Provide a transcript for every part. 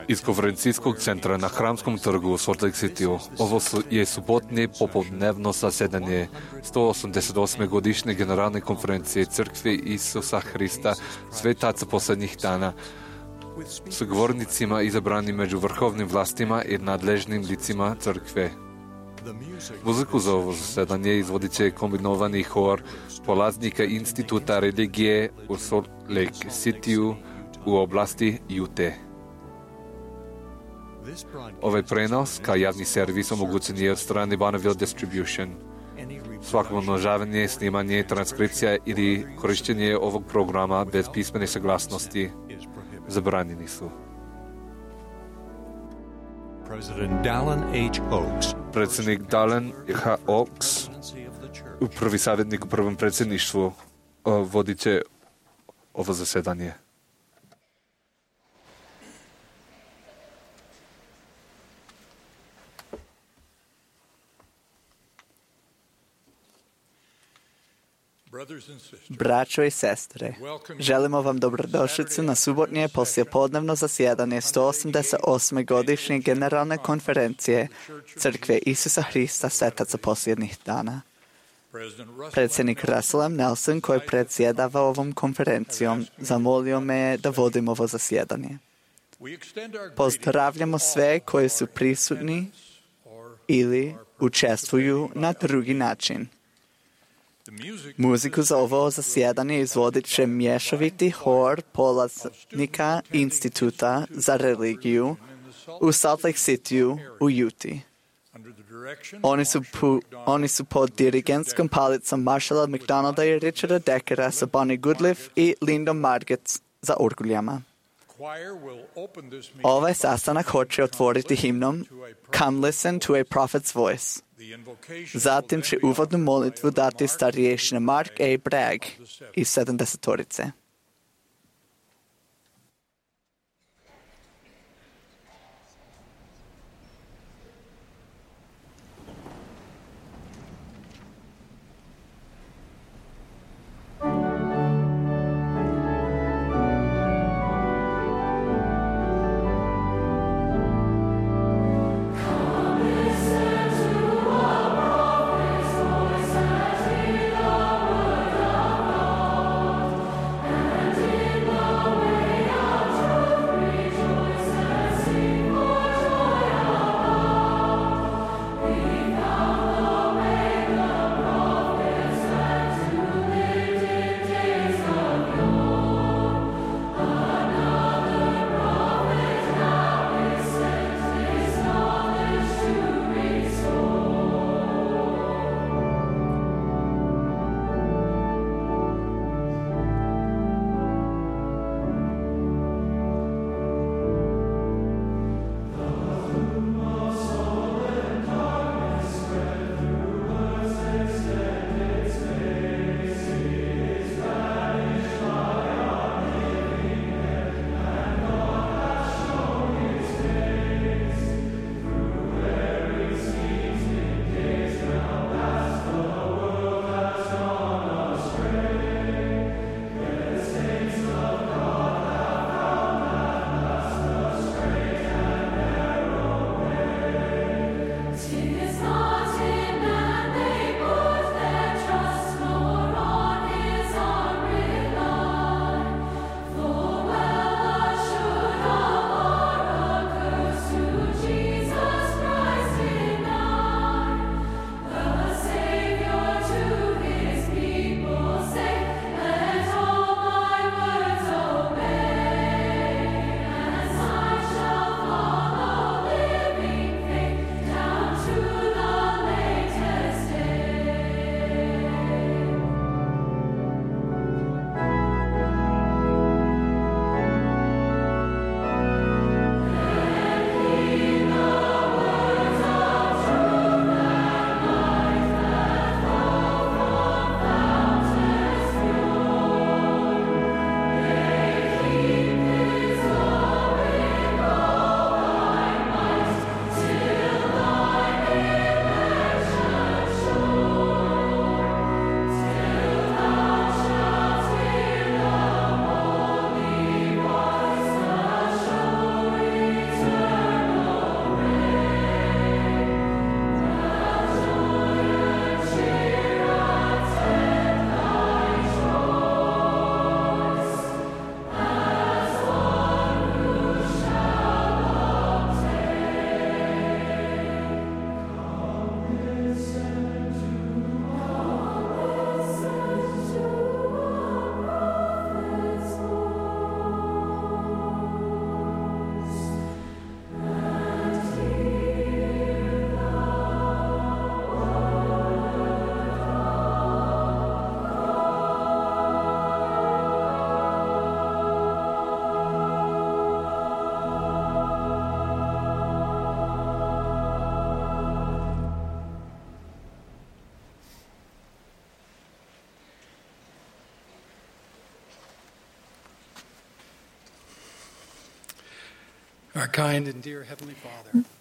Iz konferencijskog centra na Hramskom trgu u Salt Lake City ovo je subotnje popodnevno zasedanje 188. godišnje generalne konferencije Crkve Isusa Hrista svetaca posljednjih dana s govornicima izabranim među vrhovnim vlastima i nadležnim licima crkve. Muziku za ovo zasedanje izvodit će kombinovani hor polaznika Instituta religije u Salt Lake City u oblasti Utah. Ovaj prenos kao javni servis omogućen je od strane Bonneville Distribution. Svako umnožavanje, snimanje, transkripcija ili korištenje ovog programa bez pismene saglasnosti zabranjeni su. Predsjednik Dallin H. Oaks, prvi savjetnik u prvom predsjedništvu, vodit će ovo zasedanje. Braćo i sestre, želimo vam dobrodošlicu na subotnje poslijepodnevno zasjedanje 188. godišnje generalne konferencije Crkve Isusa Hrista svetaca posljednjih dana. Predsjednik Russell M. Nelson, koji predsjedava ovom konferencijom, zamolio me da vodim ovo zasjedanje. Pozdravljamo sve koji su prisutni ili učestvuju na drugi način. Muziku za ovo zasjedanje izvodit će mješoviti hor polaznika Instituta za religiju u Salt Lake City u Utah. Oni su pod dirigentskom palicom Marshalla McDonalda i Richarda Deckera sa Bonnie Goodliff i Lindom Margetts za orguljama. Ovaj sastanak hoće otvoriti himnom Come Listen to a Prophet's Voice. Zatim će uvodnu molitvu dati starješina Mark A. Bragg iz 70-torice.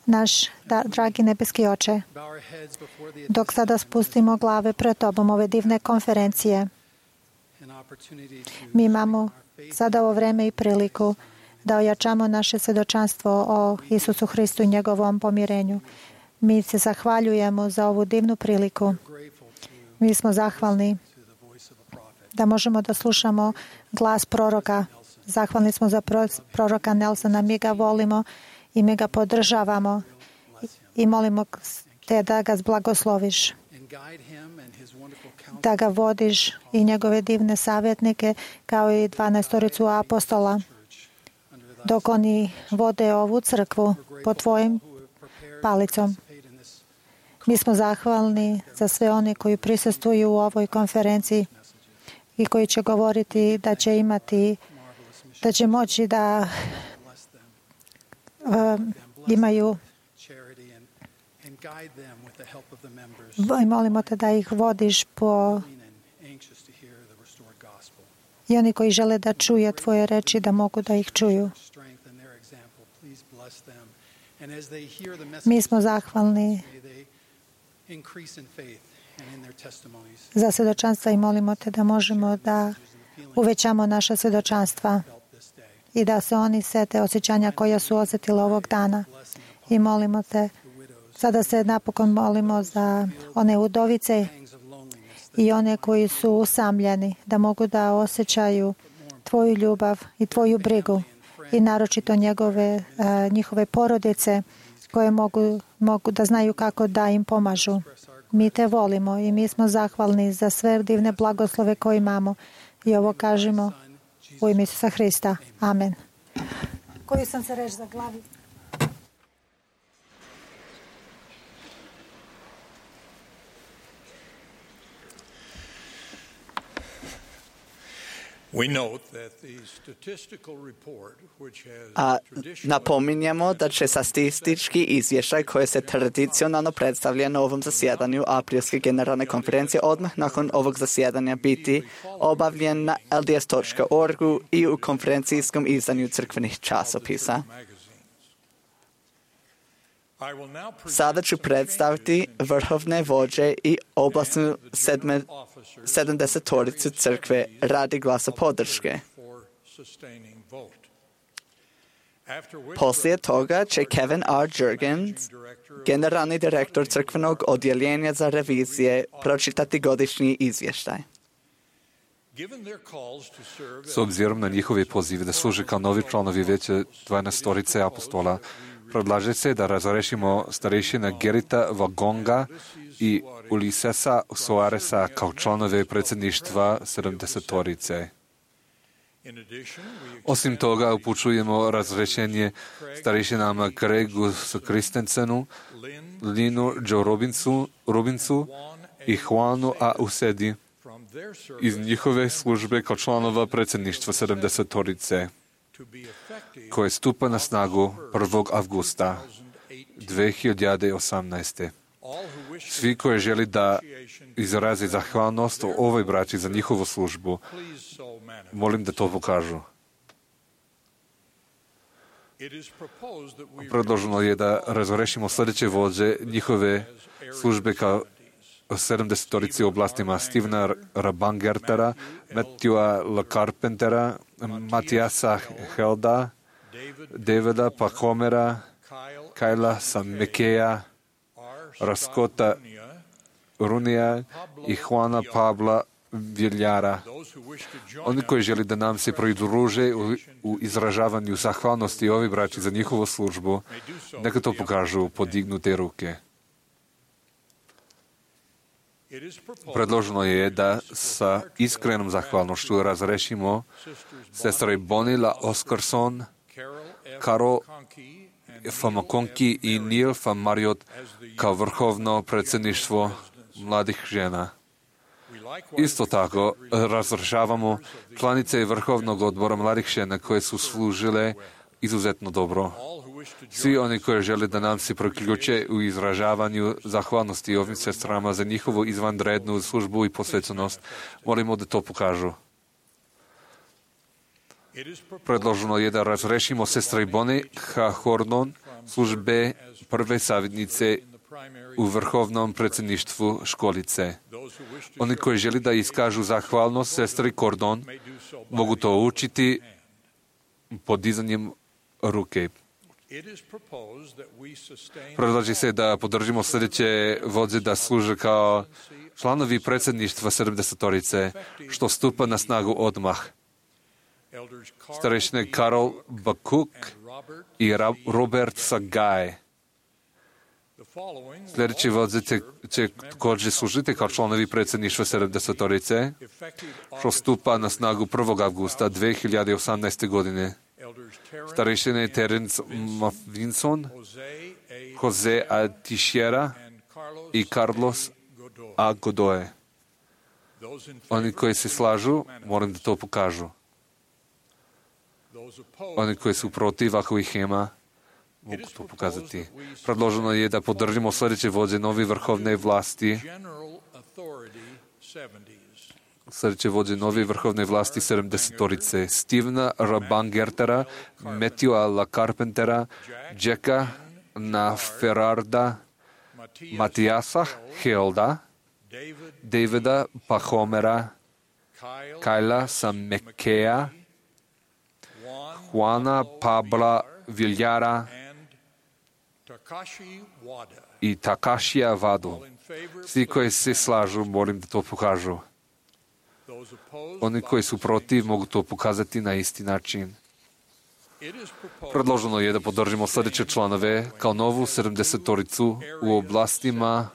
Naš dragi nebeski Oče, dok sada spustimo glave pred Tobom ove divne konferencije, mi imamo sada ovo vreme i priliku da ojačamo naše svjedočanstvo o Isusu Hristu i njegovom pomirenju. Mi se zahvaljujemo za ovu divnu priliku. Mi smo zahvalni da možemo da slušamo glas proroka. Zahvalni smo za proroka Nelsona. Mi ga volimo i mi ga podržavamo i molimo te da ga blagosloviš, da ga vodiš i njegove divne savjetnike kao i 12 apostola dok oni vode ovu crkvu pod tvojim palicom. Mi smo zahvalni za sve one koji prisustvuju u ovoj konferenciji i koji će govoriti da će imati, da će moći da imaju i molimo te da ih vodiš i oni koji žele da čuje tvoje reči da mogu da ih čuju. Mi smo zahvalni za svjedočanstva i molimo te da možemo da uvećamo naša svjedočanstva i da se oni sete osjećanja koja su osjetili ovog dana. I molimo te, sada se napokon molimo za one udovice i one koji su usamljeni, da mogu da osjećaju tvoju ljubav i tvoju brigu i naročito njihove porodice koje mogu da znaju kako da im pomažu. Mi te volimo i mi smo zahvalni za sve divne blagoslove koje imamo i ovo kažemo u ime Isusa Hrista. Amen. Koju sam se reč za glavi? Napominjemo da će statistički izvještaj koji se tradicionalno predstavlja na ovom zasjedanju aprilske generalne konferencije odmah nakon ovog zasjedanja biti obavljen na LDS.org-u i u konferencijskom izdanju crkvenih časopisa. Sada ću predstaviti vrhovne vođe i oblastnu 70-toricu crkve radi glasa podrške. Poslije toga će Kevin R. Jurgens, generalni direktor crkvenog odjeljenja za revizije, pročitati godišnji izvještaj. S obzirom na njihove pozive da služe kao novi članovi vijeća 12 apostola, predlaže se da razrešimo starešina Gerita Vagonga i Ulisesa Soaresa kao članove predsjedništva 70-torice. Osim toga, upućujemo razrešenje starešinama Gregu Kristensenu, Linu Joe Robinsu i Juanu A. Usedi iz njihove službe kao članova predsjedništva 70-torice, koje stupa na snagu 1. avgusta 2018. Svi koji želi da izrazi zahvalnost o ovoj braći za njihovu službu, molim da to pokažu. Predloženo je da razrešimo sljedeće vođe njihove službe kao 70-torici u oblastima Stevena Rabangertera, Matthewa L. Carpentera, Matijasa Helda, Davida Pahomera, Kajla Samekeja, Raskota Runija i Juana Pabla Viljara. Oni koji želi da nam se pridruže u izražavanju zahvalnosti ovi braći za njihovu službu, neka to pokažu podignute ruke. Predloženo je da sa iskrenom zahvalnošću razrešimo sestre Bonila Oscarson, Carol Famakonki i Neil Famariot kao vrhovno predsjedništvo mladih žena. Isto tako razrešavamo članice Vrhovnog odbora mladih žena koje su služile izuzetno dobro. Svi oni koji žele da nam se priključe u izražavanju zahvalnosti ovim sestrama za njihovu izvanrednu službu i posvećenost, molimo da to pokažu. Predloženo je da razrešimo sestri Bonnie Hornon službe prve savjetnice u vrhovnom predsjedništvu školice. Oni koji želi da iskažu zahvalnost sestri Cordon mogu to učiti podizanjem ruke. Predlaže se da podržimo sljedeće vođe da služe kao članovi predsjedništva 70-torice, što stupa na snagu odmah. Starešine Karol Bakuk i Robert Sagaj. Sljedeći vođe će također služiti kao članovi predsjedništva 70-torice, što stupa na snagu 1. avgusta 2018. godine. Starešine Terence Mavinson, Jose A. Teixeira i Carlos A. Godoy. Oni koji se slažu, moram da to pokažu. Oni koji su protiv, ako ih ima, mogu to pokazati. Predloženo je da podržimo sljedeće vođe novi vrhovne vlasti. Sljedeće vođe novi vrhovne vlasti 70-torice. Stevena Rabangertera, Matthewa La Carpentera, Jacka Naferarda, Matijasa Helda, Davida Pahomera, Kajla Samekea, Juana Pabla Viljara i Takashija Vadu. Svi koji se slažu, molim da to pokažu. Oni koji su protiv mogu to pokazati na isti način. Predloženo je da podržimo sljedeće članove kao novu 70-toricu u oblastima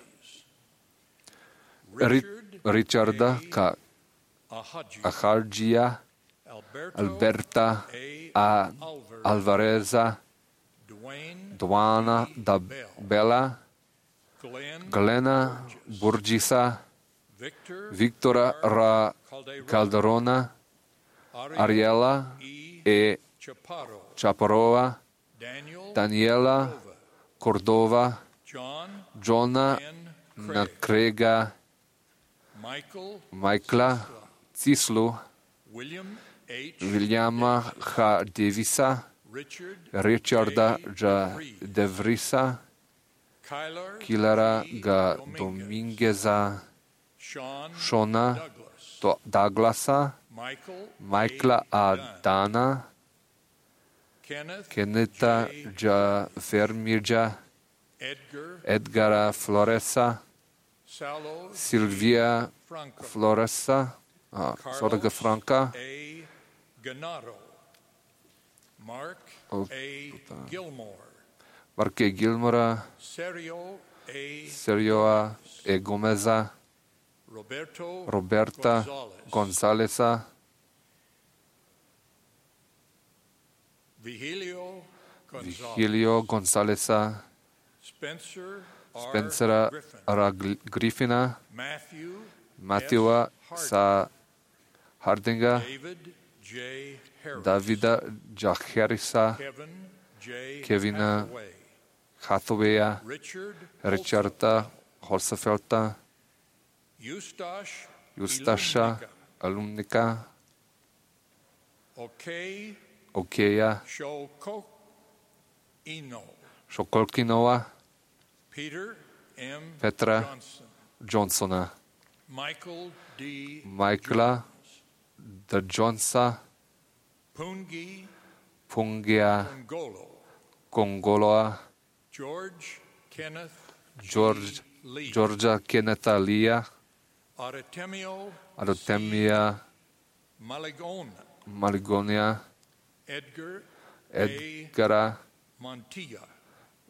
Richarda Ahadžija, Alberta A. Alvareza, Duana da Bela, Glena Burgisa, Viktora Ra Calderona, Ariela E. Chaparova, Daniela Cordova, Johna Nakrega, Michaela Cislu, Williama H. Davisa, Richarda J. Devrisa, Killara G. Domingueza, Shona Douglasa, Michaela A. Dana, Kenneta J. Vermirja, Edgara Floresa, Silvia Floresa, Sorga Franca, Mark E. Gilmora, Sergio E. Gomeza, Roberta Gonzalesa, Vigilio Gonzalesa, Spencera R. Griffina, Matthewa sa Hardinga, Davida J. Harrisa, Kevina Hathawaya, Richarda Holsefelta, Justasha Alumnika, Okeja Šokolkinova, Petra Johnsona, Michaela D. Jonesa, Pungia Kongoloa, Georgia Kennetha Lia, Artemia Maligonia, Edgara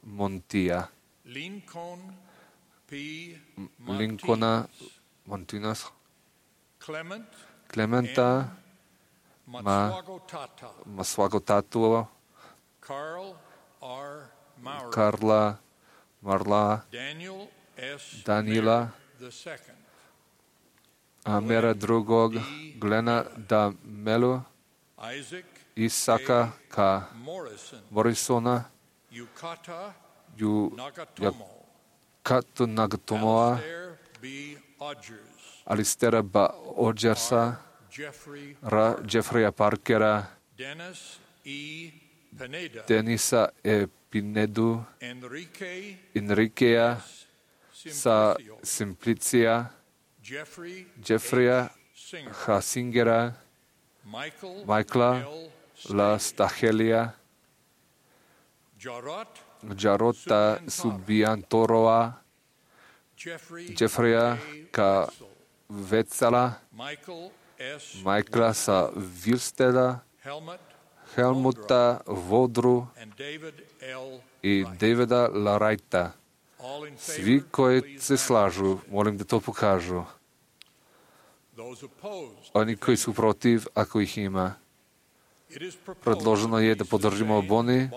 Montilla, Lincolna Montinas, Clementa Maswagotatu, Karla Marla, Daniela Amera drugog, Glena da Melu, Isaka K. Morrisona, Yukatu Nagatomoa, Alistera B. Odgersa, Jeffreya Parkera, Denisa E. Pinedu, Enriquea sa Simplicia, Jeffreya Hasingera, Michaela La Stachelia, Jarota Subiantoroa, Jeffreya Ka Vecala, Michaela sa Vilsteda, Helmuta Vodru i Davida Larajta. Svi koji se slažu, molim da to pokažu. Oni koji su protiv, ako ih ima. Predloženo je da podržimo Bonnie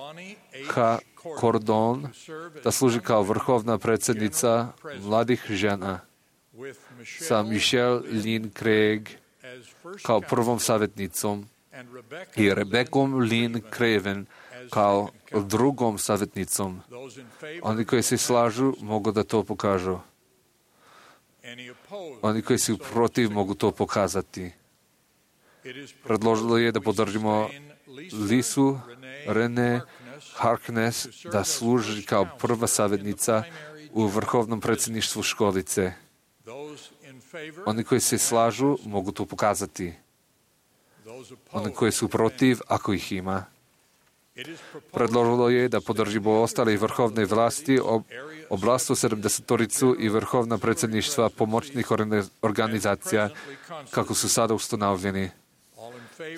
H. Cordon, da služi kao vrhovna predsjednica mladih žena, sa Michelle Lynn Craig kao prvom savjetnicom i Rebekom Lynn Craven kao drugom savjetnicom. Oni koji se slažu mogu da to pokažu. Oni koji su protiv mogu to pokazati. Predložilo je da podržimo Lisu Rene Harkness da služi kao prva savjetnica u vrhovnom predsjedništvu školice. Oni koji se slažu mogu to pokazati. Oni koji su protiv, ako ih ima. Predložilo je da podržimo ostale vrhovne vlasti, oblastu 70-toricu i vrhovna predsjedništva pomoćnih organizacija, kako su sada ustanovljeni.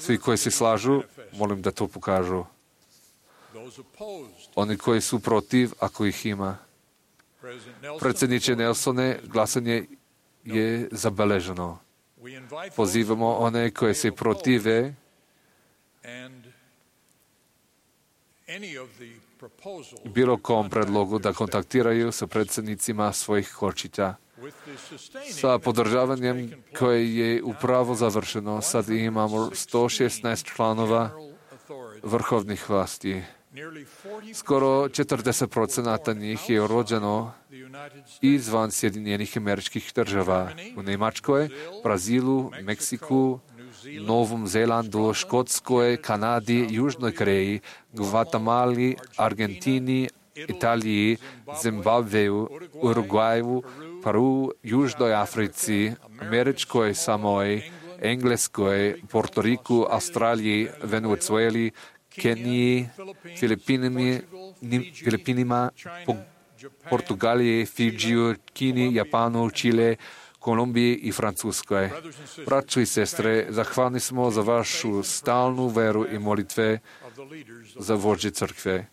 Svi koji se slažu, molim da to pokažu. Oni koji su protiv, ako ih ima. Predsjedniče Nelsone, glasanje je zabeleženo. Pozivamo one koje se protive bilo kom predlogu da kontaktiraju sa predsjednicima svojih kočića. Sa podržavanjem koje je upravo završeno, sad imamo 116 članova vrhovnih vlasti. Skoro 40% njih je rođeno izvan Sjedinjenih Američkih Država. U Njemačkoj, Brazilu, Meksiku, Novom Zelandu, Škotskoj, Kanadi, Južnoj Koreji, Gvatemali, Argentini, Italiji, Zimbabveju, Urugvaju, Peru, Južnoj Africi, Američkoj Samoji, Engleskoj, Portoriku, Australiji, Venezueli, Keniji, Filipinima, Portugaliji, Fidžiju, Kini, Japanu, Čile, Kolumbiji i Francuskoj. Braćo i sestre, zahvalni smo za vašu stalnu veru i molitve za vođe crkve.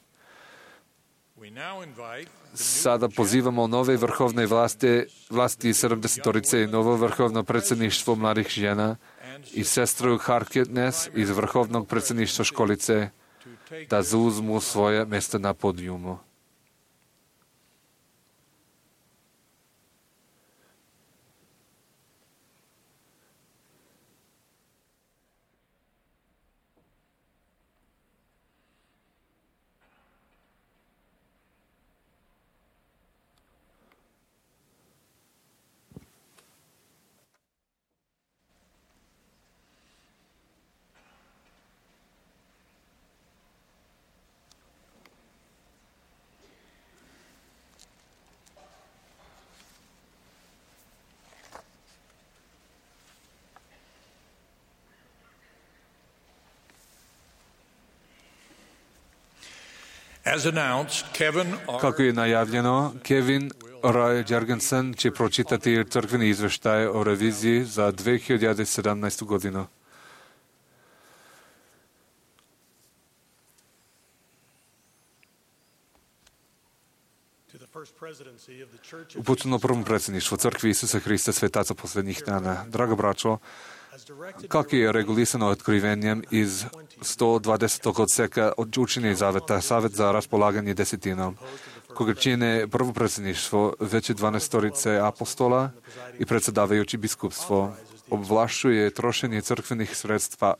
Sada pozivamo nove vrhovne vlasti 70-torice i novo vrhovno predsjedništvo mladih žena i sestru Harkness iz vrhovnog predsjedništva školice da zauzmu svoje mjesto na podijumu. Kako je najavljeno, Kevin Roy Jorgensen će pročitati crkveni izveštaj o reviziji za 2017. godinu. Upućeno prvom predsjedništvu Crkvi Isusa Hrista Svetaca posljednjih dana. Drago braćo, kako je regulisano otkrivenjem iz 120. odseka od učenja i zaveta, Savet za raspolaganje desetinom, koga čine prvo predsjedništvo, veće 12-torice apostola i predsjedavajući biskupstvo, obvlašćuje trošenje crkvenih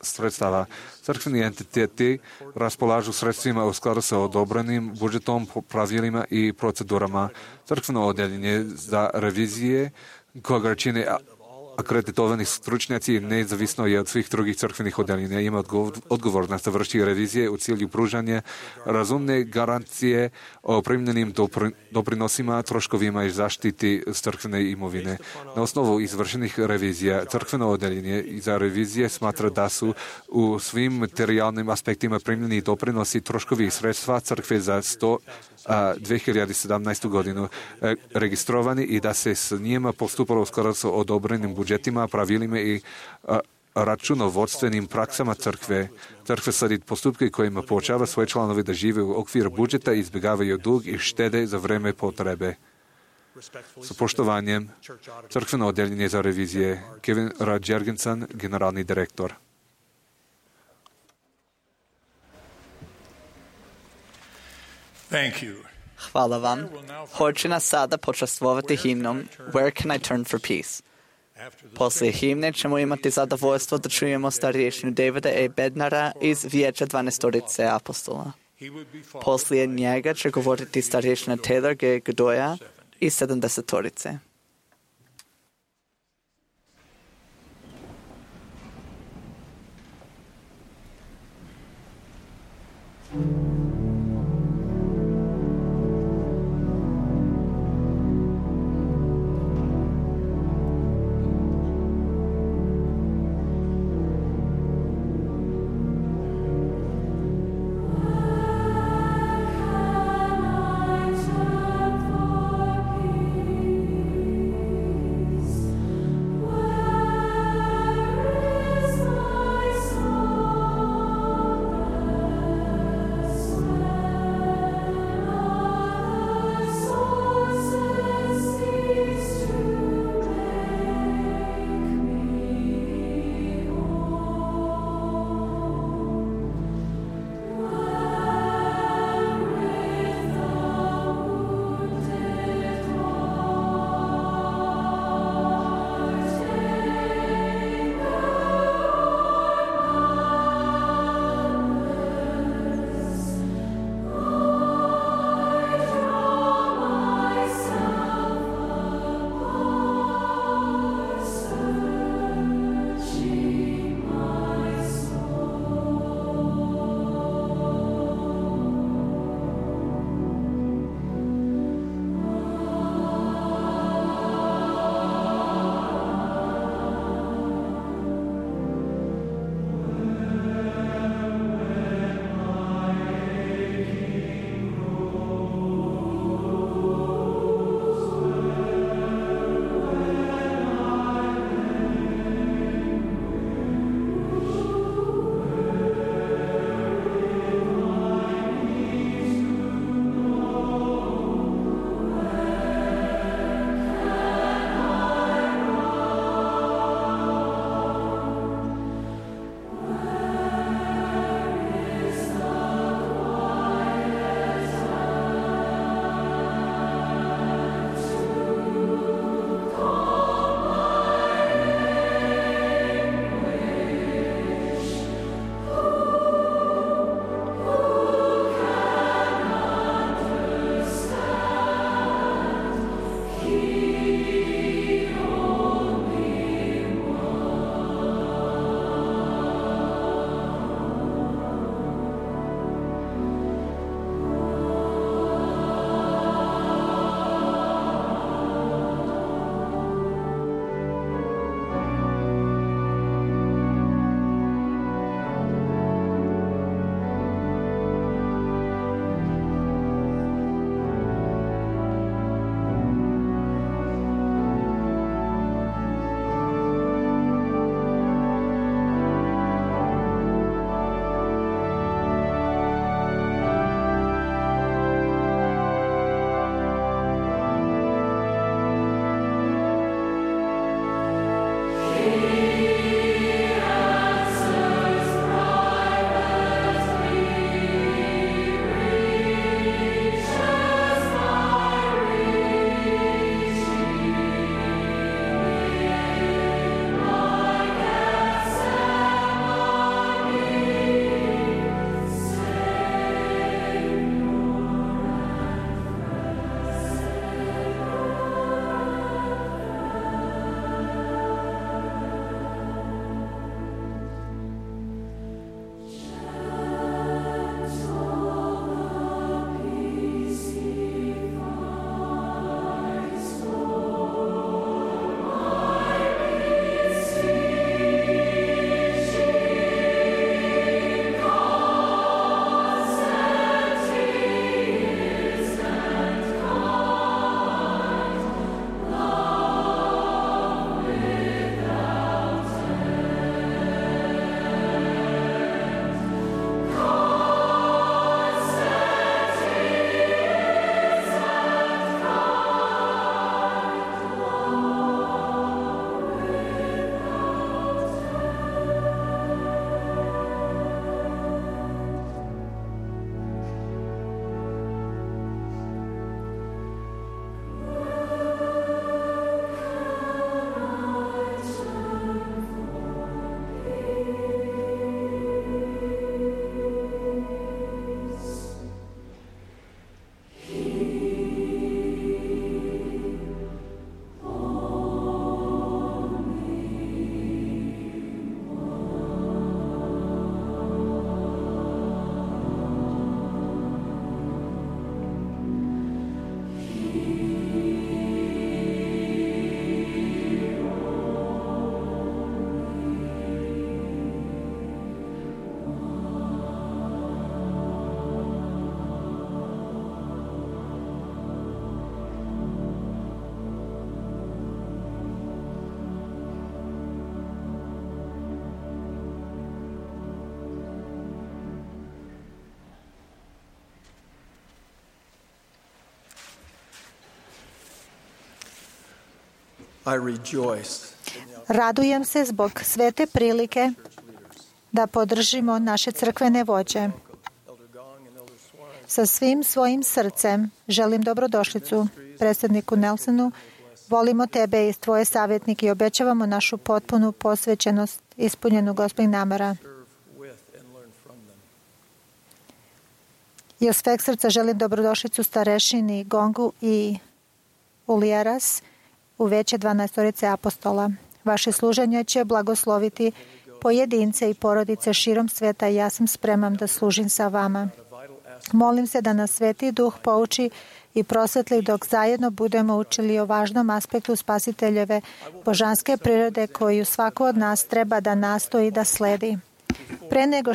sredstava. Crkveni entiteti raspolažu sredstvima u skladu sa odobrenim budžetom, pravilima i procedurama. Crkveno odeljenje za revizije, koga čine akreditovani stručnjaci nezavisno je od svih drugih crkvenih odeljenja. Ima odgovornost da vrši revizije u cilju pružanja razumne garancije o primljenim doprinosima, troškovima i zaštiti crkvene imovine. Na osnovu izvršenih revizija crkveno odeljenje za revizije smatra da su u svim materijalnim aspektima primljeni doprinosi, troškovi i sredstva crkve za 2017. godinu registrovani i da se s njima postupalo u skladu s odobrenim budžetima, pravilima i računovodstvenim praksama crkve. Crkve slijedi postupke kojima poučava svoje članove da žive u okviru budžeta, izbjegavaju dug i štede za vreme potrebe. Sa poštovanjem, crkveno odeljenje za revizije, Kevin Rad-Jergensen, generalni direktor. Hvala vam. Hoće nas sada počastvovati himnom Where Can I Turn for Peace? Poslije himne ćemo imati zadovoljstvo da čujemo starješinu Davida A. Bednara iz Vijeća 12 apostola. Poslije njega će govoriti starješina Taylor G. Godoya iz 70. Radujem se zbog svete prilike da podržimo naše crkvene vođe. Sa svim svojim srcem želim dobrodošlicu predsjedniku Nelsonu. Volimo tebe i tvoje savjetnike i obećavamo našu potpunu posvećenost ispunjenu Gospodin namera. I od sveg srca želim dobrodošlicu starešini Gongu i Ulijeras u veće 12 apostola. Vaše služenje će blagosloviti pojedince i porodice širom sveta i ja sam spreman da služim sa vama. Molim se da nas Sveti Duh pouči i prosvetli dok zajedno budemo učili o važnom aspektu Spasiteljeve božanske prirode koju svako od nas treba da nastoji da sledi. Pre nego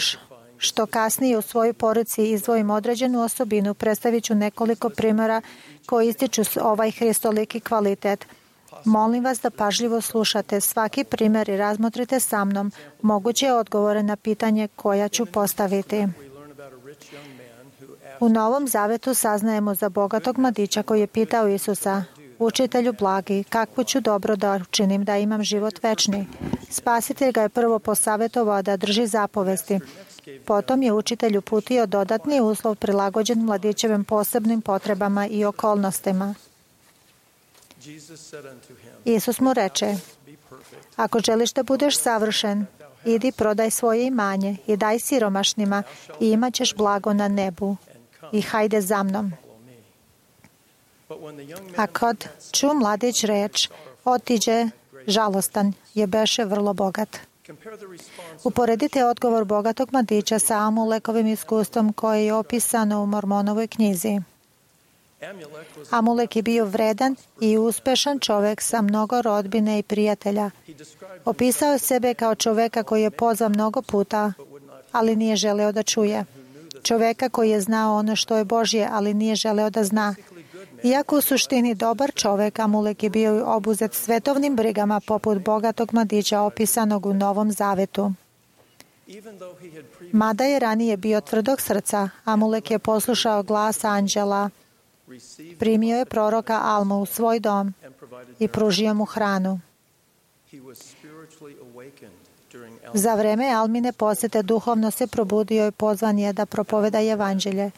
što kasnije u svojoj poruci izdvojim određenu osobinu, predstavit ću nekoliko primjera koji ističu ovaj hristoliki kvalitet. Molim vas da pažljivo slušate svaki primjer i razmotrite sa mnom moguće odgovore na pitanje koja ću postaviti. U Novom Zavetu saznajemo za bogatog mladića koji je pitao Isusa: Učitelju blagi, kakvu ću dobro da učinim da imam život večni? Spasitelj ga je prvo posavjetovao da drži zapovesti. Potom je učitelj uputio dodatni uslov prilagođen mladićevim posebnim potrebama i okolnostima. Isus mu reče: Ako želiš da budeš savršen, idi prodaj svoje imanje i daj siromašnima i imat ćeš blago na nebu. I hajde za mnom. A kad ču mladić reč, otiđe žalostan, je beše vrlo bogat. Uporedite odgovor bogatog mladića sa Amulekovim iskustvom koje je opisano u Mormonovoj knjizi. Amulek je bio vredan i uspešan čovjek sa mnogo rodbine i prijatelja. Opisao je sebe kao čovjeka koji je pozvan mnogo puta, ali nije želeo da čuje. Čovjeka koji je znao ono što je Božje, ali nije želeo da zna. Iako u suštini dobar čovjek, Amulek je bio obuzet svetovnim brigama poput bogatog mladića opisanog u Novom Zavetu. Mada je ranije bio tvrdog srca, Amulek je poslušao glas anđela, primio je proroka Almu u svoj dom i pružio mu hranu. Za vreme Almine posjete duhovno se probudio i pozvan je da propoveda evanđelje.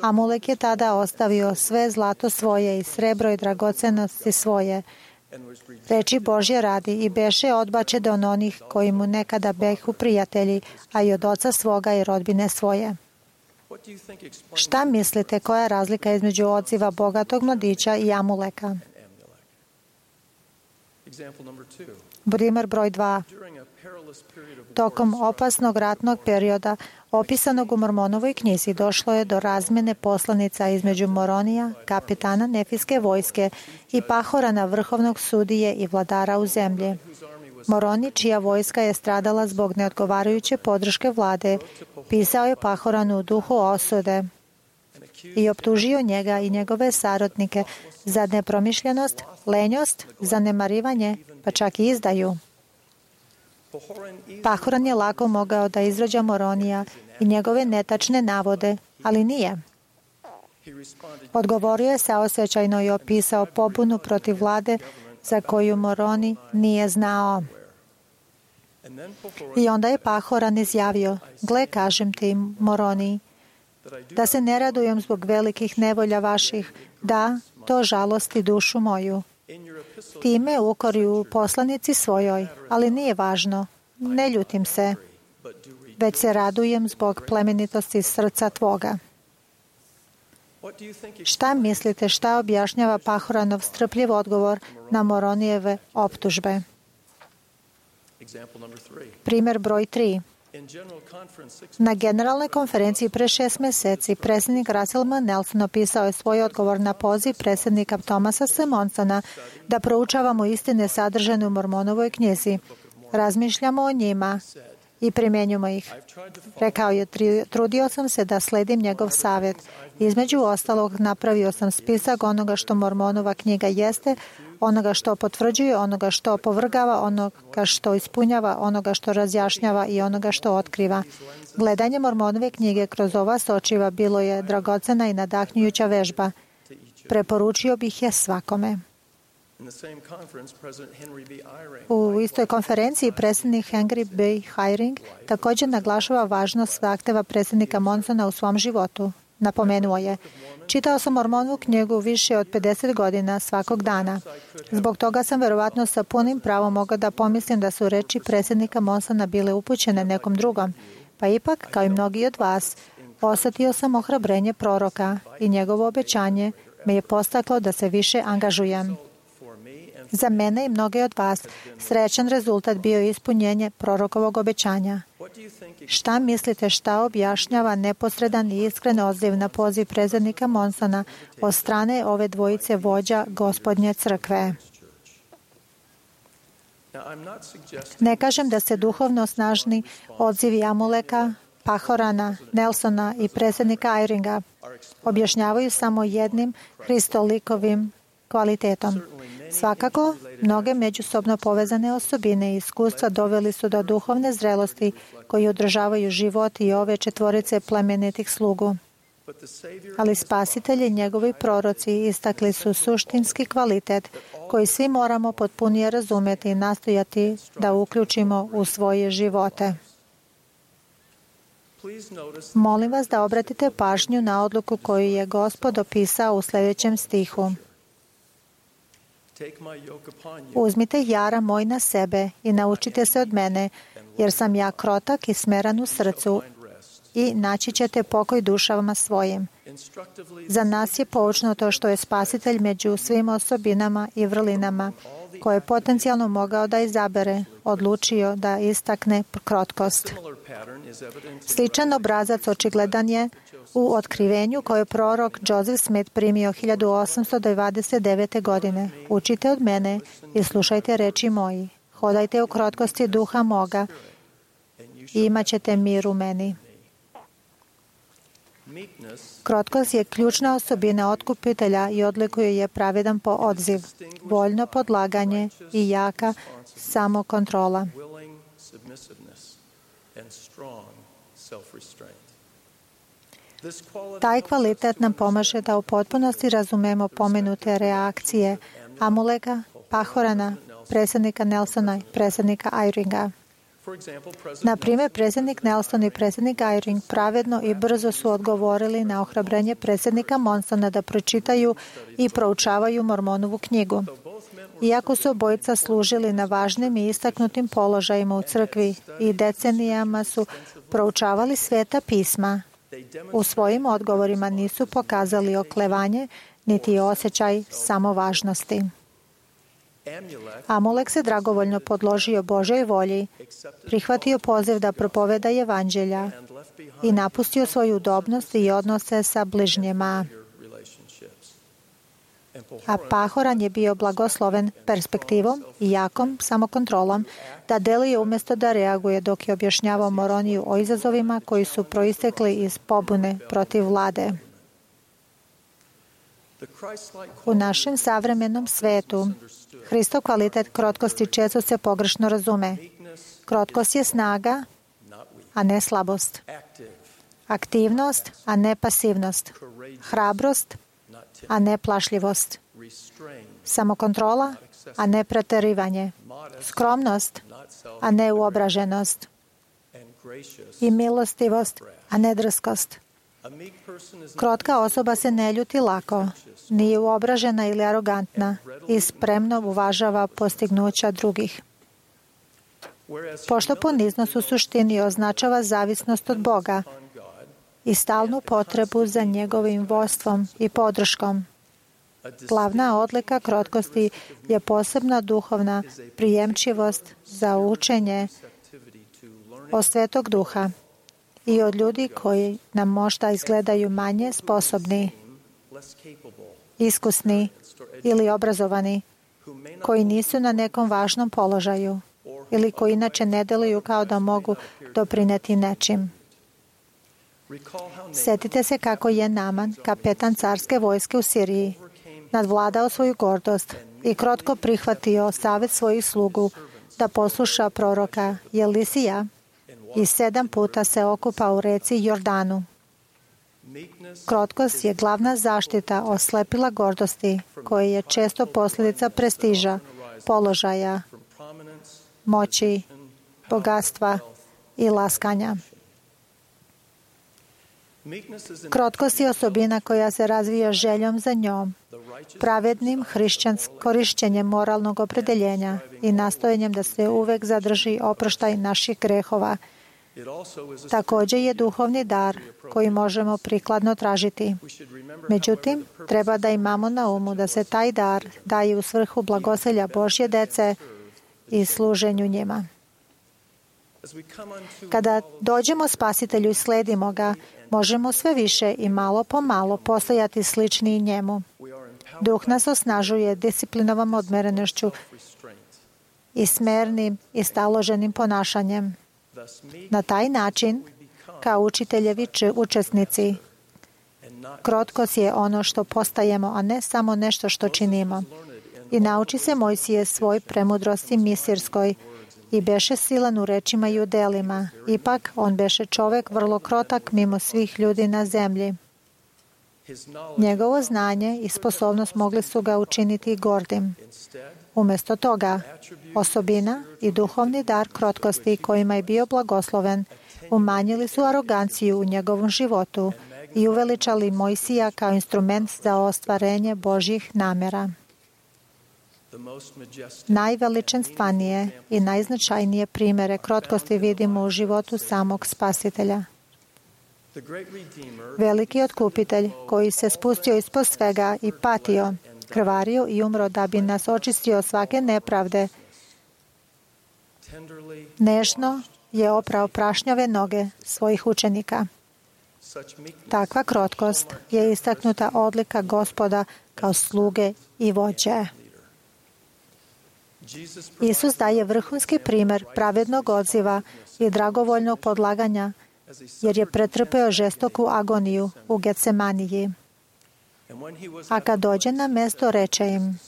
Amulek je tada ostavio sve zlato svoje i srebro i dragocenosti svoje, reči Božje radi, i beše odbačen od onih koji mu nekada behu prijatelji, a i od oca svoga i rodbine svoje. Šta mislite, koja je razlika između odziva bogatog mladića i Amuleka? Primer broj 2. Tokom opasnog ratnog perioda, opisanog u Mormonovoj knjizi, došlo je do razmjene poslanica između Moronija, kapitana Nefijske vojske, i Pahorana, vrhovnog sudije i vladara u zemlji. Moroni, čija vojska je stradala zbog neodgovarajuće podrške vlade, pisao je Pahoranu u duhu osude i optužio njega i njegove saradnike za nepromišljenost, lenjost, zanemarivanje, pa čak i izdaju. Pahoran je lako mogao da izrađa Moronija i njegove netačne navode, ali nije. Odgovorio je saosećajno i opisao pobunu protiv vlade za koju Moroni nije znao. I onda je Pahoran izjavio: Gle, kažem ti, Moroni, da se ne radujem zbog velikih nevolja vaših, da to žalosti dušu moju. Time ukori u poslanici svojoj, ali nije važno, ne ljutim se, već se radujem zbog plemenitosti srca tvoga. Šta mislite, šta objašnjava Pahoranov strpljiv odgovor na Moronijeve optužbe? Primjer broj 3. Na generalnoj konferenciji pre 6 meseci predsjednik Russell M. Nelson opisao je svoj odgovor na poziv predsjednika Thomasa Simonsona da proučavamo istine sadržane u Mormonovoj knjizi. Razmišljamo o njima i primjenjujemo ih. Rekao je: trudio sam se da sledim njegov savjet. Između ostalog, napravio sam spisak onoga što Mormonova knjiga jeste, onoga što potvrđuje, onoga što opovrgava, onoga što ispunjava, onoga što razjašnjava i onoga što otkriva. Gledanje Mormonove knjige kroz ova sočiva bilo je dragocena i nadahnjujuća vežba. Preporučio bih je svakome. U istoj konferenciji predsjednik Henry B. Eyring također naglašava važnost zahteva predsjednika Monsona u svom životu. Napomenuo je: čitao sam Mormonovu knjigu više od 50 godina svakog dana. Zbog toga sam verovatno sa punim pravom mogao da pomislim da su reči predsjednika Monsona bile upućene nekom drugom. Pa ipak, kao i mnogi od vas, osjetio sam ohrabrenje proroka i njegovo obećanje me je postaklo da se više angažujem. Za mene i mnoge od vas srećan rezultat bio je ispunjenje prorokovog obećanja. Šta mislite, šta objašnjava neposredan i iskren odziv na poziv predsjednika Monsona od strane ove dvojice vođa Gospodnje crkve? Ne kažem da se duhovno snažni odzivi Amuleka, Pahorana, Nelsona i predsjednika Eyringa objašnjavaju samo jednim hristolikovim kvalitetom. Svakako, mnoge međusobno povezane osobine i iskustva doveli su do duhovne zrelosti koji održavaju život i ove četvorice plemenitih slugu. Ali Spasitelj i njegovi proroci istakli su suštinski kvalitet koji svi moramo potpunije razumjeti i nastojati da uključimo u svoje živote. Molim vas da obratite pažnju na odluku koju je Gospod opisao u sljedećem stihu. Uzmite jara moj na sebe i naučite se od mene, jer sam ja krotak i smeran u srcu, i naći ćete pokoj dušama svojim. Za nas je poučno to što je Spasitelj među svim osobinama i vrlinama koje je potencijalno mogao da izabere, odlučio da istakne krotkost. Sličan obrazac očigledan je u otkrivenju koje je prorok Joseph Smith primio 1829. godine. Učite od mene i slušajte reči moji. Hodajte u krotkosti duha moga i imat ćete mir u meni. Krotkost je ključna osobina otkupitelja i odlikuje je pravedan odziv, voljno podlaganje i jaka samokontrola. Taj kvalitet nam pomaže da u potpunosti razumemo pomenute reakcije Amuleka, Pahorana, predsjednika Nelsona i predsjednika Eyringa. Na primjer, predsjednik Nelson i predsjednik Eyring pravedno i brzo su odgovorili na ohrabrenje predsjednika Monsona da pročitaju i proučavaju Mormonovu knjigu. Iako su obojica služili na važnim i istaknutim položajima u crkvi i decenijama su proučavali sveta pisma, u svojim odgovorima nisu pokazali oklevanje niti osjećaj samovažnosti. Amulek se dragovoljno podložio Božoj volji, prihvatio poziv da propoveda evanđelja i napustio svoju udobnost i odnose sa bližnjima. A Pahoran je bio blagosloven perspektivom i jakom samokontrolom da deluje umjesto da reaguje dok je objašnjavao Moroniju o izazovima koji su proistekli iz pobune protiv vlade. U našem savremenom svetu Hristov kvalitet krotkosti često se pogrešno razume. Krotkost je snaga, a ne slabost. Aktivnost, a ne pasivnost. Hrabrost, a ne plašljivost. Samokontrola, a ne preterivanje. Skromnost, a ne uobraženost. I milostivost, a ne drskost. Krotka osoba se ne ljuti lako, nije uobražena ili arogantna i spremno uvažava postignuća drugih. Pošto poniznost u suštini označava zavisnost od Boga i stalnu potrebu za njegovim vodstvom i podrškom. Glavna odlika krotkosti je posebna duhovna prijemčivost za učenje od Svetog Duha i od ljudi koji nam možda izgledaju manje sposobni, iskusni ili obrazovani, koji nisu na nekom važnom položaju ili koji inače ne deluju kao da mogu doprineti nečim. Sjetite se kako je Naman, kapetan carske vojske u Siriji, nadvladao svoju gordost i krotko prihvatio savjet svojih slugu da posluša proroka Elisija i 7 puta se okupa u reci Jordanu. Krotkost je glavna zaštita od slepila gordosti, koja je često posljedica prestiža, položaja, moći, bogatstva i laskanja. Krotkost je osobina koja se razvija željom za njom, pravednim korišćenjem moralnog opredeljenja i nastojanjem da se uvek zadrži oproštaj naših grehova. Također je duhovni dar koji možemo prikladno tražiti. Međutim, treba da imamo na umu da se taj dar daje u svrhu blagoselja Božje dece i služenju njima. Kada dođemo Spasitelju i sledimo ga, možemo sve više i malo po malo postajati slični njemu. Duh nas osnažuje disciplinovom odmerenošću i smernim i staloženim ponašanjem. Na taj način, kao učiteljevi učesnici, krotkost je ono što postajemo, a ne samo nešto što činimo. I nauči se Mojsije svoj premudrosti misirskoj i beše silan u rečima i u delima. Ipak, on beše čovek vrlo krotak mimo svih ljudi na zemlji. Njegovo znanje i sposobnost mogli su ga učiniti gordim. Umjesto toga, osobina i duhovni dar krotkosti kojima je bio blagosloven umanjili su aroganciju u njegovom životu i uveličali Mojsija kao instrument za ostvarenje Božjih namjera. Najveličanstvenije i najznačajnije primjere krotkosti vidimo u životu samog Spasitelja. Veliki otkupitelj koji se spustio ispod svega i patio, krvario i umro da bi nas očistio svake nepravde, nežno je oprao prašnjave noge svojih učenika. Takva krotkost je istaknuta odlika Gospoda kao sluge i vođe. Isus daje vrhunski primjer pravednog odziva i dragovoljnog podlaganja, jer je pretrpeo žestoku agoniju u Getsemaniji. A kad dođe na mjesto, reče im: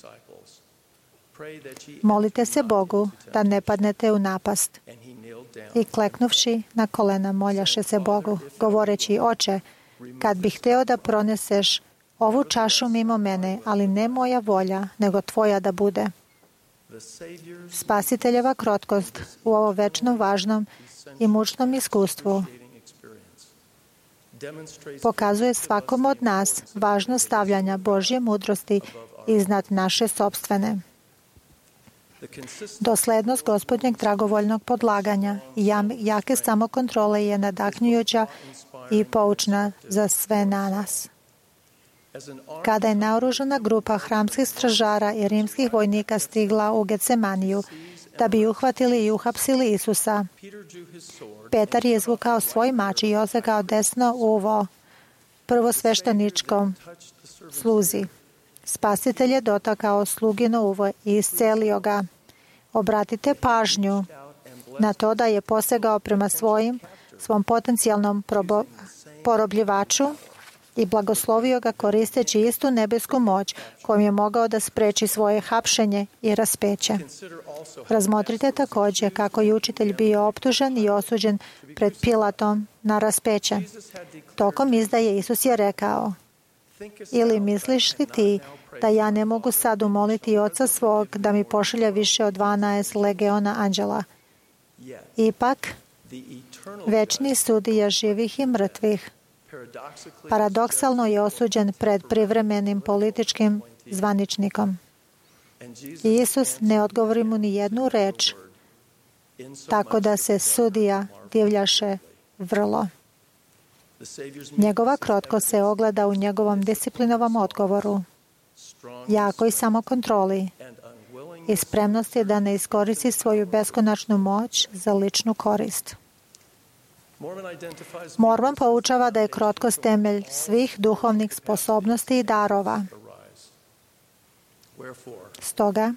molite se Bogu da ne padnete u napast. I kleknuvši na kolena moljaše se Bogu, govoreći: Oče, kad bih hteo da proneseš ovu čašu mimo mene, ali ne moja volja, nego tvoja da bude. Spasiteljeva krotkost u ovo večno važnom i mučnom iskustvu pokazuje svakom od nas važnost stavljanja Božje mudrosti iznad naše sopstvene. Doslednost Gospodnjeg dragovoljnog podlaganja i jake samokontrole je nadahnjujuća i poučna za sve na nas. Kada je naoružana grupa hramskih stražara i rimskih vojnika stigla u Getsemaniju da bi uhvatili i uhapsili Isusa, Petar je izvukao svoj mač i osegao desno uvo prvosvešteničkom sluzi. Spasitelj je dotakao slugino uvo i iscelio ga. Obratite pažnju na to da je posegao prema svom potencijalnom porobljivaču i blagoslovio ga koristeći istu nebesku moć kojom je mogao da spreči svoje hapšenje i raspeće. Razmotrite također kako je učitelj bio optužen i osuđen pred Pilatom na raspeće. Tokom izdaje Isus je rekao: ili misliš li ti da ja ne mogu sad umoliti Oca svog da mi pošalje više od 12 legiona anđela? Ipak, večni sudija živih i mrtvih paradoksalno je osuđen pred privremenim političkim zvaničnikom. I Isus ne odgovori mu ni jednu reč, tako da se sudija divljaše vrlo. Njegova krotkost se ogleda u njegovom disciplinovom odgovoru, jakoj samokontroli i spremnosti da ne iskoristi svoju beskonačnu moć za ličnu korist. Mormon poučava da je krotkost temelj svih duhovnih sposobnosti i darova. Stoga,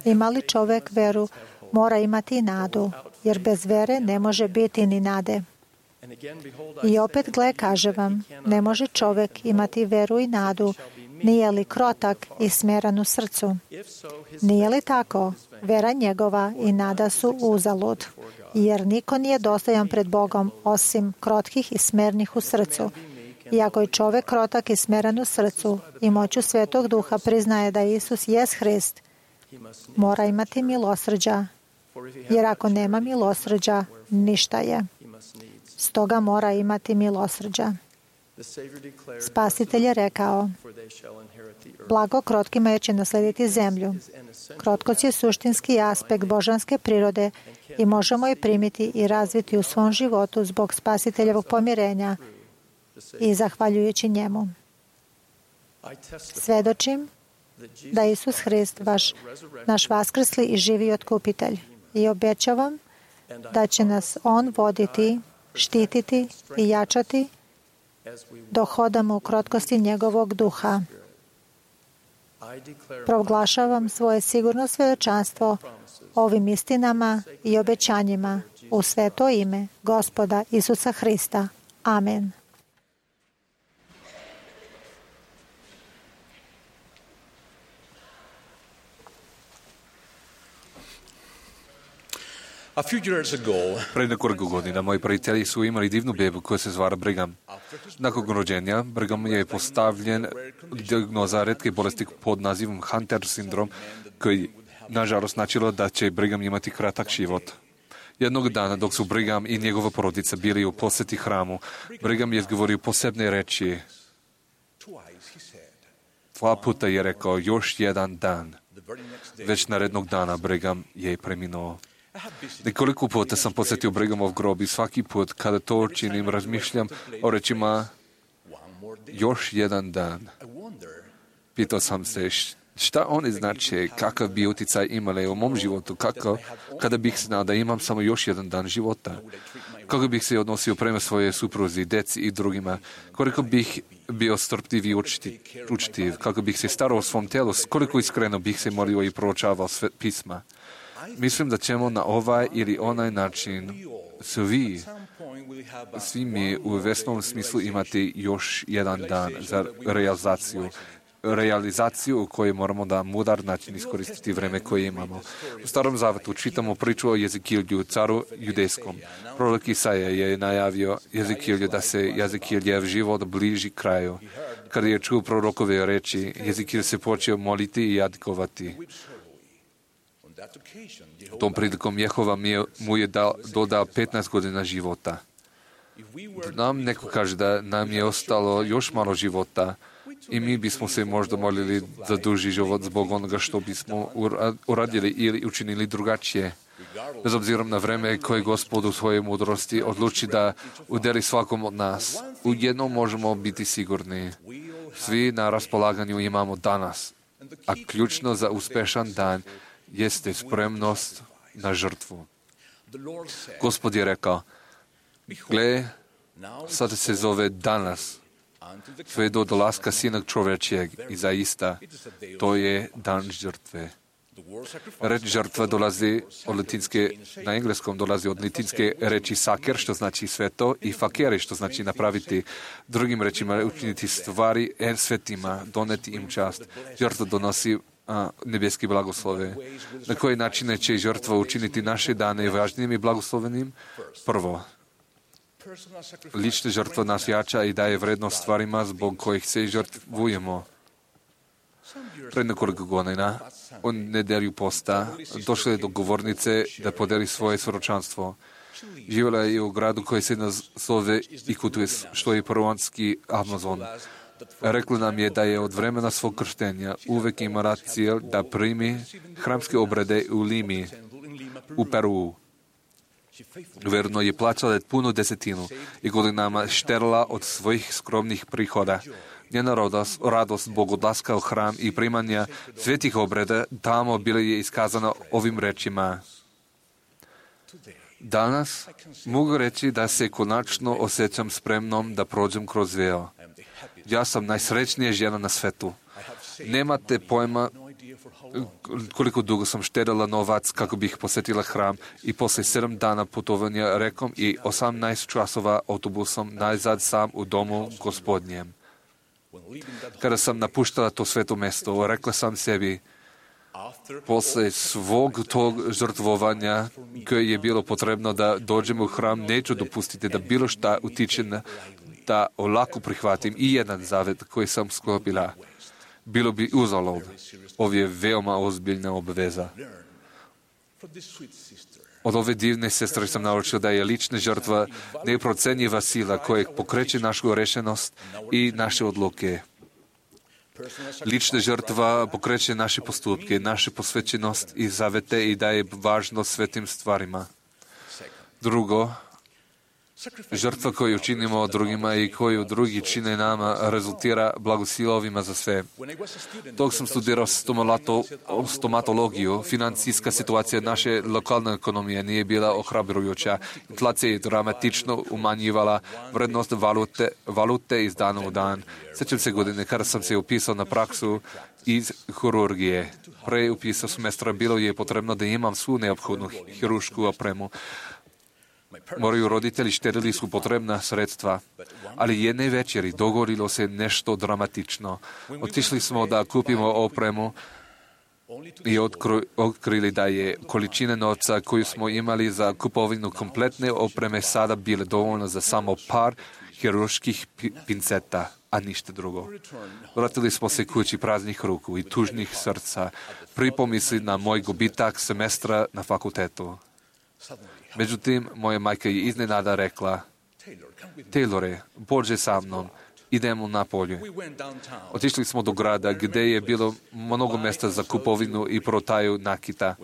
ima li čovjek veru, mora imati i nadu, jer bez vere ne može biti ni nade. I opet, gle, kaže vam, ne može čovjek imati veru i nadu, nije li krotak i smeran u srcu. Nije li tako, vera njegova i nada su uzalud, jer niko nije dostojan pred Bogom osim krotkih i smernih u srcu. Iako je čovek krotak i smeren u srcu i moću Svetog Duha priznaje da Isus jest Hrist, mora imati milosrđa, jer ako nema milosrđa, ništa je. Stoga mora imati milosrđa. Spasitelj je rekao, blago krotkima jer će naslediti zemlju. Krotkost je suštinski aspekt božanske prirode i možemo je primiti i razviti u svom životu zbog Spasiteljevog pomirenja i zahvaljujući njemu. Svedočim da je Isus Hrist naš vaskrsli i živi otkupitelj i obećavam da će nas On voditi, štititi i jačati dok hodamo u krotkosti njegovog duha. Proglašavam svoje sigurno svedočanstvo ovim istinama i obećanjima u sveto ime Gospoda Isusa Hrista. Amen. Pred nekoliko godina moji prijatelji su imali divnu bebu koja se zvala Brigham. Nakon rođenja Brigham je postavljen dijagnoza retke bolesti pod nazivom Hunter sindrom, koji nažalost značilo da će Brigham imati kratak život. Jednog dana, dok su Brigham i njegova porodica bili u posjeti hramu, Brigham je izgovorio posebne reči. 2 puta je rekao još jedan dan. Već narednog dana Brigham je preminuo. Nekoliko puta sam posjetio Brighamov grob i svaki put kada to činim razmišljam o rečima još jedan dan. Pitao sam se šta oni znače, kakav bi utjecaj imali u mom životu, kada bih znao da imam samo još jedan dan života. Kako bih se odnosio prema svoje supruzi, deci i drugima, koliko bih bio strpljiv i učtiv, kako bih se starao o svom telu, koliko iskreno bih se molio i proučavao sve pisma. Mislim da ćemo na ovaj ili onaj način svi mi u vesnom smislu imati još jedan dan za realizaciju u kojoj moramo na mudar način iskoristiti vreme koje imamo. U Starom Zavjetu čitamo priču o Jezekilju, caru judejskom. Prorok Isaija je najavio Jezekilju da se Jezekiljev život bliži kraju. Kada je čuo prorokove reči, Jezekilj se počeo moliti i jadikovati. Tom prilikom Jehova mu je dodao 15 godina života. Nam neko kaže da nam je ostalo još malo života i mi bismo se možda molili za duži život zbog onoga što bismo uradili ili učinili drugačije. Bez obzirom na vreme koje Gospod u svojoj mudrosti odluči da udeli svakom od nas, u jednom možemo biti sigurni. Svi na raspolaganju imamo danas, a ključno za uspešan dan jeste spremnost na žrtvu. Gospod je rekao, gle, sad se zove danas, sve do dolaska Sina čovečijeg i zaista, to je dan žrtve. Reč žrtva dolazi od latinske, na engleskom dolazi od latinske reči saker, što znači sveto, i fakere, što znači napraviti. Drugim rečima, učiniti stvari svetima, doneti im čast. Žrtva donosi nebeski blagoslove. Na koji način će žrtva učiniti naše dane važnijim i blagoslovenim? Prvo, lična žrtva nas jača i daje vrednost stvarima zbog kojih se žrtvujemo. Pred nekoliko godina, u nedelju posta, došla je do govornice da podeli svoje svjedočanstvo. Živjela je u gradu koji se nazove Ikutus, što je peruanski Amazon. Rekla nam je da je od vremena svog krštenja uvek imala cilj da primi hramske obrede u Limi, u Peruu. Verno je plaćala punu desetinu i godinama šterala od svojih skromnih prihoda. Njena radost zbog odlaska u hram i primanja svetih obreda tamo bila je iskazana ovim rečima. Danas mogu reći da se konačno osjećam spremnom da prođem kroz veo. Ja sam najsrećnija žena na svetu. Nemate pojma koliko dugo sam štedila novac kako bih posjetila hram i poslije 7 dana putovanja rekom i 18 časova autobusom najzad sam u domu Gospodnjem. Kada sam napuštala to sveto mesto, rekla sam sebi, posle svog tog žrtvovanja koje je bilo potrebno da dođem u hram, neću dopustiti da bilo šta utiče da olako prihvatim i jedan zavet koji sam sklopila. Bilo bi uzalud. Ovo je veoma ozbiljna obaveza. Od ove divne sestre sam naučio da je lična žrtva neprocenjiva sila koja pokreće našu rešenost i naše odluke. Lična žrtva pokreće naše postupke, naše posvećenost i zavete i daje važnost svetim stvarima. Drugo, žrtva koju činimo drugima i koju drugi čine nama rezultira blagosilovima za sve. Dok sam studirao stomatologiju, financijska situacija naše lokalne ekonomije nije bila ohrabrujuća. Inflacija je dramatično umanjivala vrednost valute iz dana u dan. Sjećam se godine kada sam se upisao na praksu iz hirurgije. Pre upisa semestra bilo je potrebno da imam svu neophodnu hirušku opremu. Moji roditelji štedili su potrebna sredstva, ali jedne večeri dogodilo se nešto dramatično. Otišli smo da kupimo opremu i otkrili da je količina novca koju smo imali za kupovinu kompletne opreme sada bile dovoljno za samo par hirurških pinceta, a ništa drugo. Vratili smo se kući praznih ruku i tužnih srca, pri pomisli na moj gubitak semestra na fakultetu. Međutim, moja majka je iznenada rekla: Taylore, pođi sa mnom, idemo na polju. Otišli smo do grada gdje je bilo mnogo mjesta za kupovinu i prodaju nakita.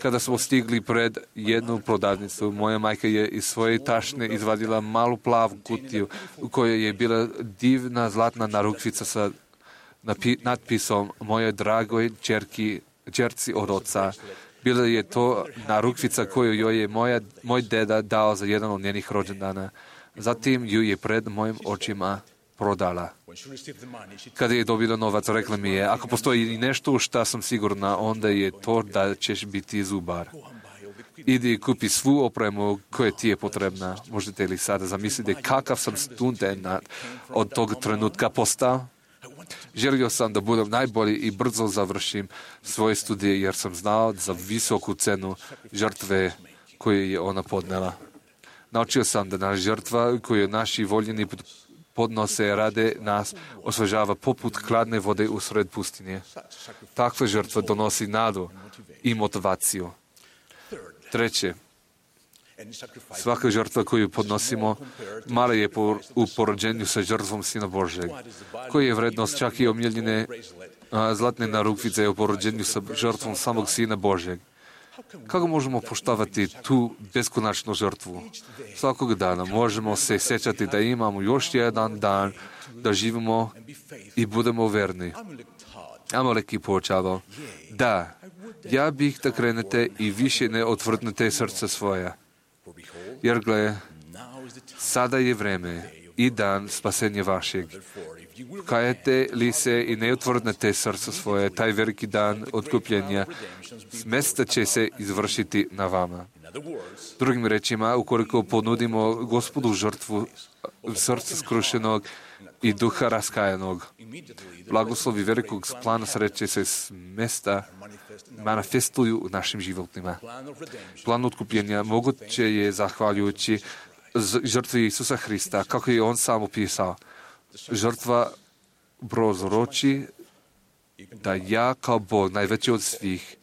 Kada smo stigli pred jednu prodavnicu, moja majka je iz svoje tašne izvadila malu plavu kutiju u kojoj je bila divna zlatna narukvica sa natpisom Moje dragoj čerci od oca. Bila je to narukvica koju joj je moj deda dao za jedan od njenih rođendana. Zatim ju je pred mojim očima prodala. Kada je dobila novac, rekla mi je: ako postoji nešto u šta sam sigurna, onda je to da ćeš biti zubar. Idi kupi svu opremu koja ti je potrebna. Možete li sada zamisliti kakav sam student od tog trenutka postao? Želio sam da budem najbolji i brzo završim svoje studije jer sam znao za visoku cenu žrtve koju je ona podnela. Naučio sam da naša žrtva koju naši voljeni podnose rade nas osvežava poput hladne vode usred pustinje. Takva žrtva donosi nadu i motivaciju. Treće, svaka žrtva koju podnosimo mala je u poređenju sa žrtvom Sina Božjeg, koja je vrednost čak i omiljene zlatne narukvice u poređenju sa žrtvom samog Sina Božjeg. Kako možemo poštovati tu beskonačnu žrtvu? Svakog dana možemo se sjećati da imamo još jedan dan da živimo i budemo verni. Amalek je poučavao: da, ja bih da krenete i više ne otvrdnete srce svoja. Jer gle, sada je vreme i dan spasenja vašeg. Kajete li se i ne otvrdnete srce svoje, taj veliki dan otkupljenja, smesta će se izvršiti na vama. Drugim rečima, ukoliko ponudimo Gospodu žrtvu srca skrušenog i duha raskajanog, blagoslovi velikog plana sreće se smesta manifestuju u našim životima. Plan otkupljenja moguće je zahvaljujući žrtvi Isusa Hrista, kako je on sam opisao. Žrtva prozroči da ja kao Bog, najveći od svih,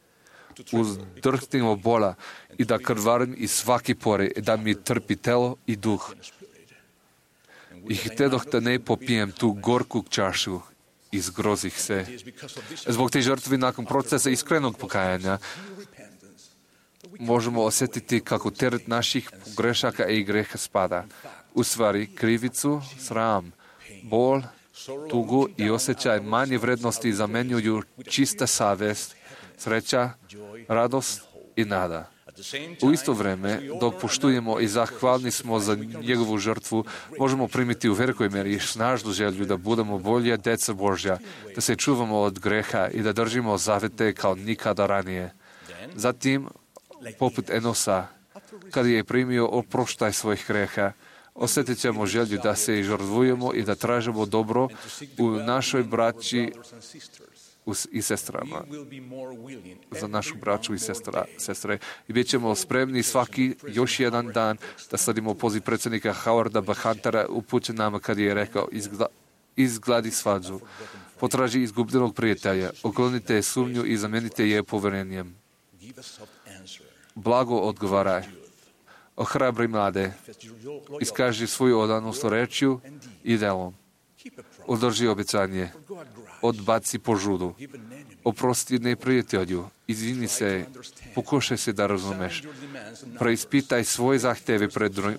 uzdrhtim od bola i da krvarim iz svake pore, da mi trpi telo i duh. I htedoh da ne popijem tu gorku čašu i zgrozih se. Zbog te žrtve nakon procesa iskrenog pokajanja možemo osjetiti kako teret naših grešaka i greha spada. U stvari, krivicu, sram, bol, tugu i osjećaj manje vrednosti zamenjuju čista savjest, sreća, radost i nada. U isto vrijeme, dok poštujemo i zahvalni smo za njegovu žrtvu, možemo primiti u velikoj meri snažnu želju da budemo bolje djeca Božja, da se čuvamo od greha i da držimo zavete kao nikada ranije. Zatim, poput Enosa, kada je primio oproštaj svojih greha, osjetit ćemo želju da se žrtvujemo i da tražimo dobro u našoj braći, i sestrama, za našu braću i sestre. I bit ćemo spremni svaki još jedan dan da sledimo poziv predsjednika Howarda B. Huntera upućen nama kad je rekao izgladi svađu, potraži izgubljenog prijatelja, uklonite sumnju i zamenite je poverenjem. Blago odgovaraj. Ohrabri mlade, iskaži svoju odanost rečju i delom. Održi obećanje, odbaci požudu, oprosti neprijatelju, izvini se, pokušaj se da razumeš. Preispitaj svoje zahteve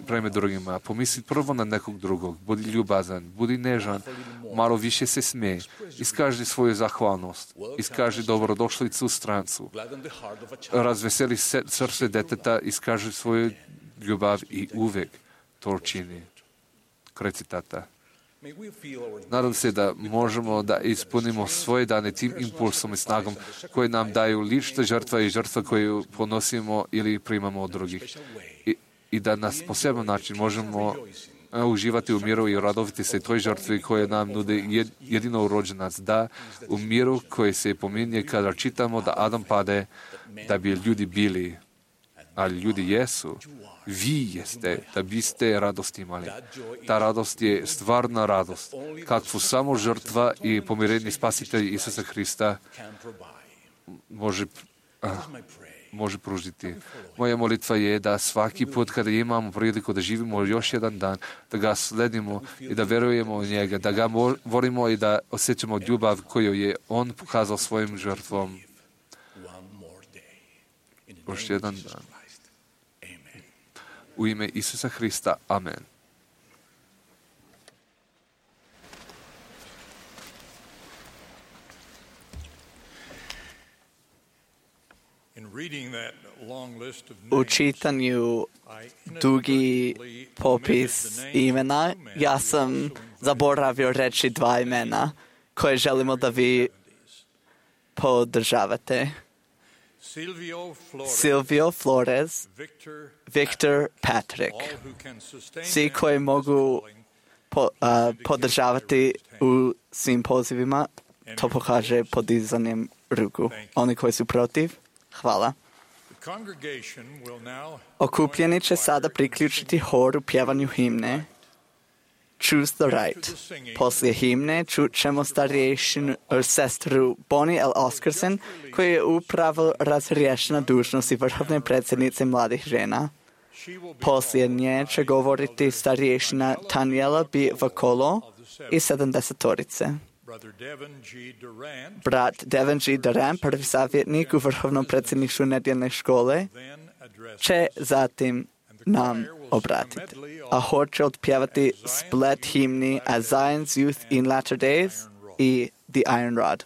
prema drugima, pomisli prvo na nekog drugog, budi ljubazan, budi nežan, malo više se smej, iskaži svoju zahvalnost, iskaži dobrodošlicu strancu, razveseli srce deteta, iskaži svoju ljubav i uvek to čini. Kraj citata. Nadam se da možemo da ispunimo svoje dane tim impulsom i snagom koje nam daju lična žrtva i žrtva koju ponosimo ili primamo od drugih. I da nas poseban način možemo uživati u miru i radovati se toj žrtvi koje nam nude jedino rođenac. Da, u miru koji se pominje kada čitamo da Adam pade, da bi ljudi bili, ali ljudi jesu. Vi jeste, da biste radost imali. Ta radost je stvarna radost, kakvu samo žrtva i pomirenje spasitelj Isusa Hrista može pružiti. Moja molitva je da svaki put kada imamo priliku da živimo još jedan dan, da ga sledimo i da verujemo u njega, da ga volimo i da osjećamo ljubav koju je on pokazao svojim žrtvom. Još jedan dan. U ime Isusa Hrista. Amen. U čitanju dugi popis imena, ja sam zaboravio reći 2 imena koje želimo da vi podržavate. Silvio Flores, Victor Patrick. Svi koji mogu podržavati u svim pozivima, to pokaže podizanjem ruku. Oni koji su protiv, hvala. Okupljeni će sada priključiti hor u pjevanju himne Choose the Right. Poslije himne čut ćemo starješinu sestru Bonnie L. Oscarson, koja je upravo razriješena dužnosti vrhovne predsjednice mladih žena. Poslije nje će govoriti starješina Taniela B. Vakolo i 70-torice. Brat Devin G. Durant, prvi savjetnik u vrhovnom predsjedništvu nedjeljne škole, će zatim nam obratiti. A hor će otpjevati splet himni As Zion's Youth in Latter Days i The Iron Rod.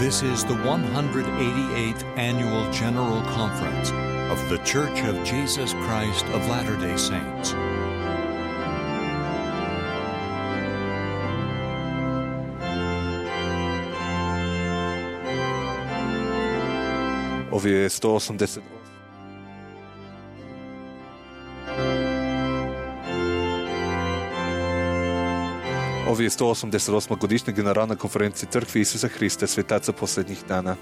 This is the 188th Annual General Conference of The Church of Jesus Christ of Latter-day Saints. Ovo je 180. Ovo je 188. godišnja generalna konferencija Crkve Isusa Hrista svetaca posljednjih dana.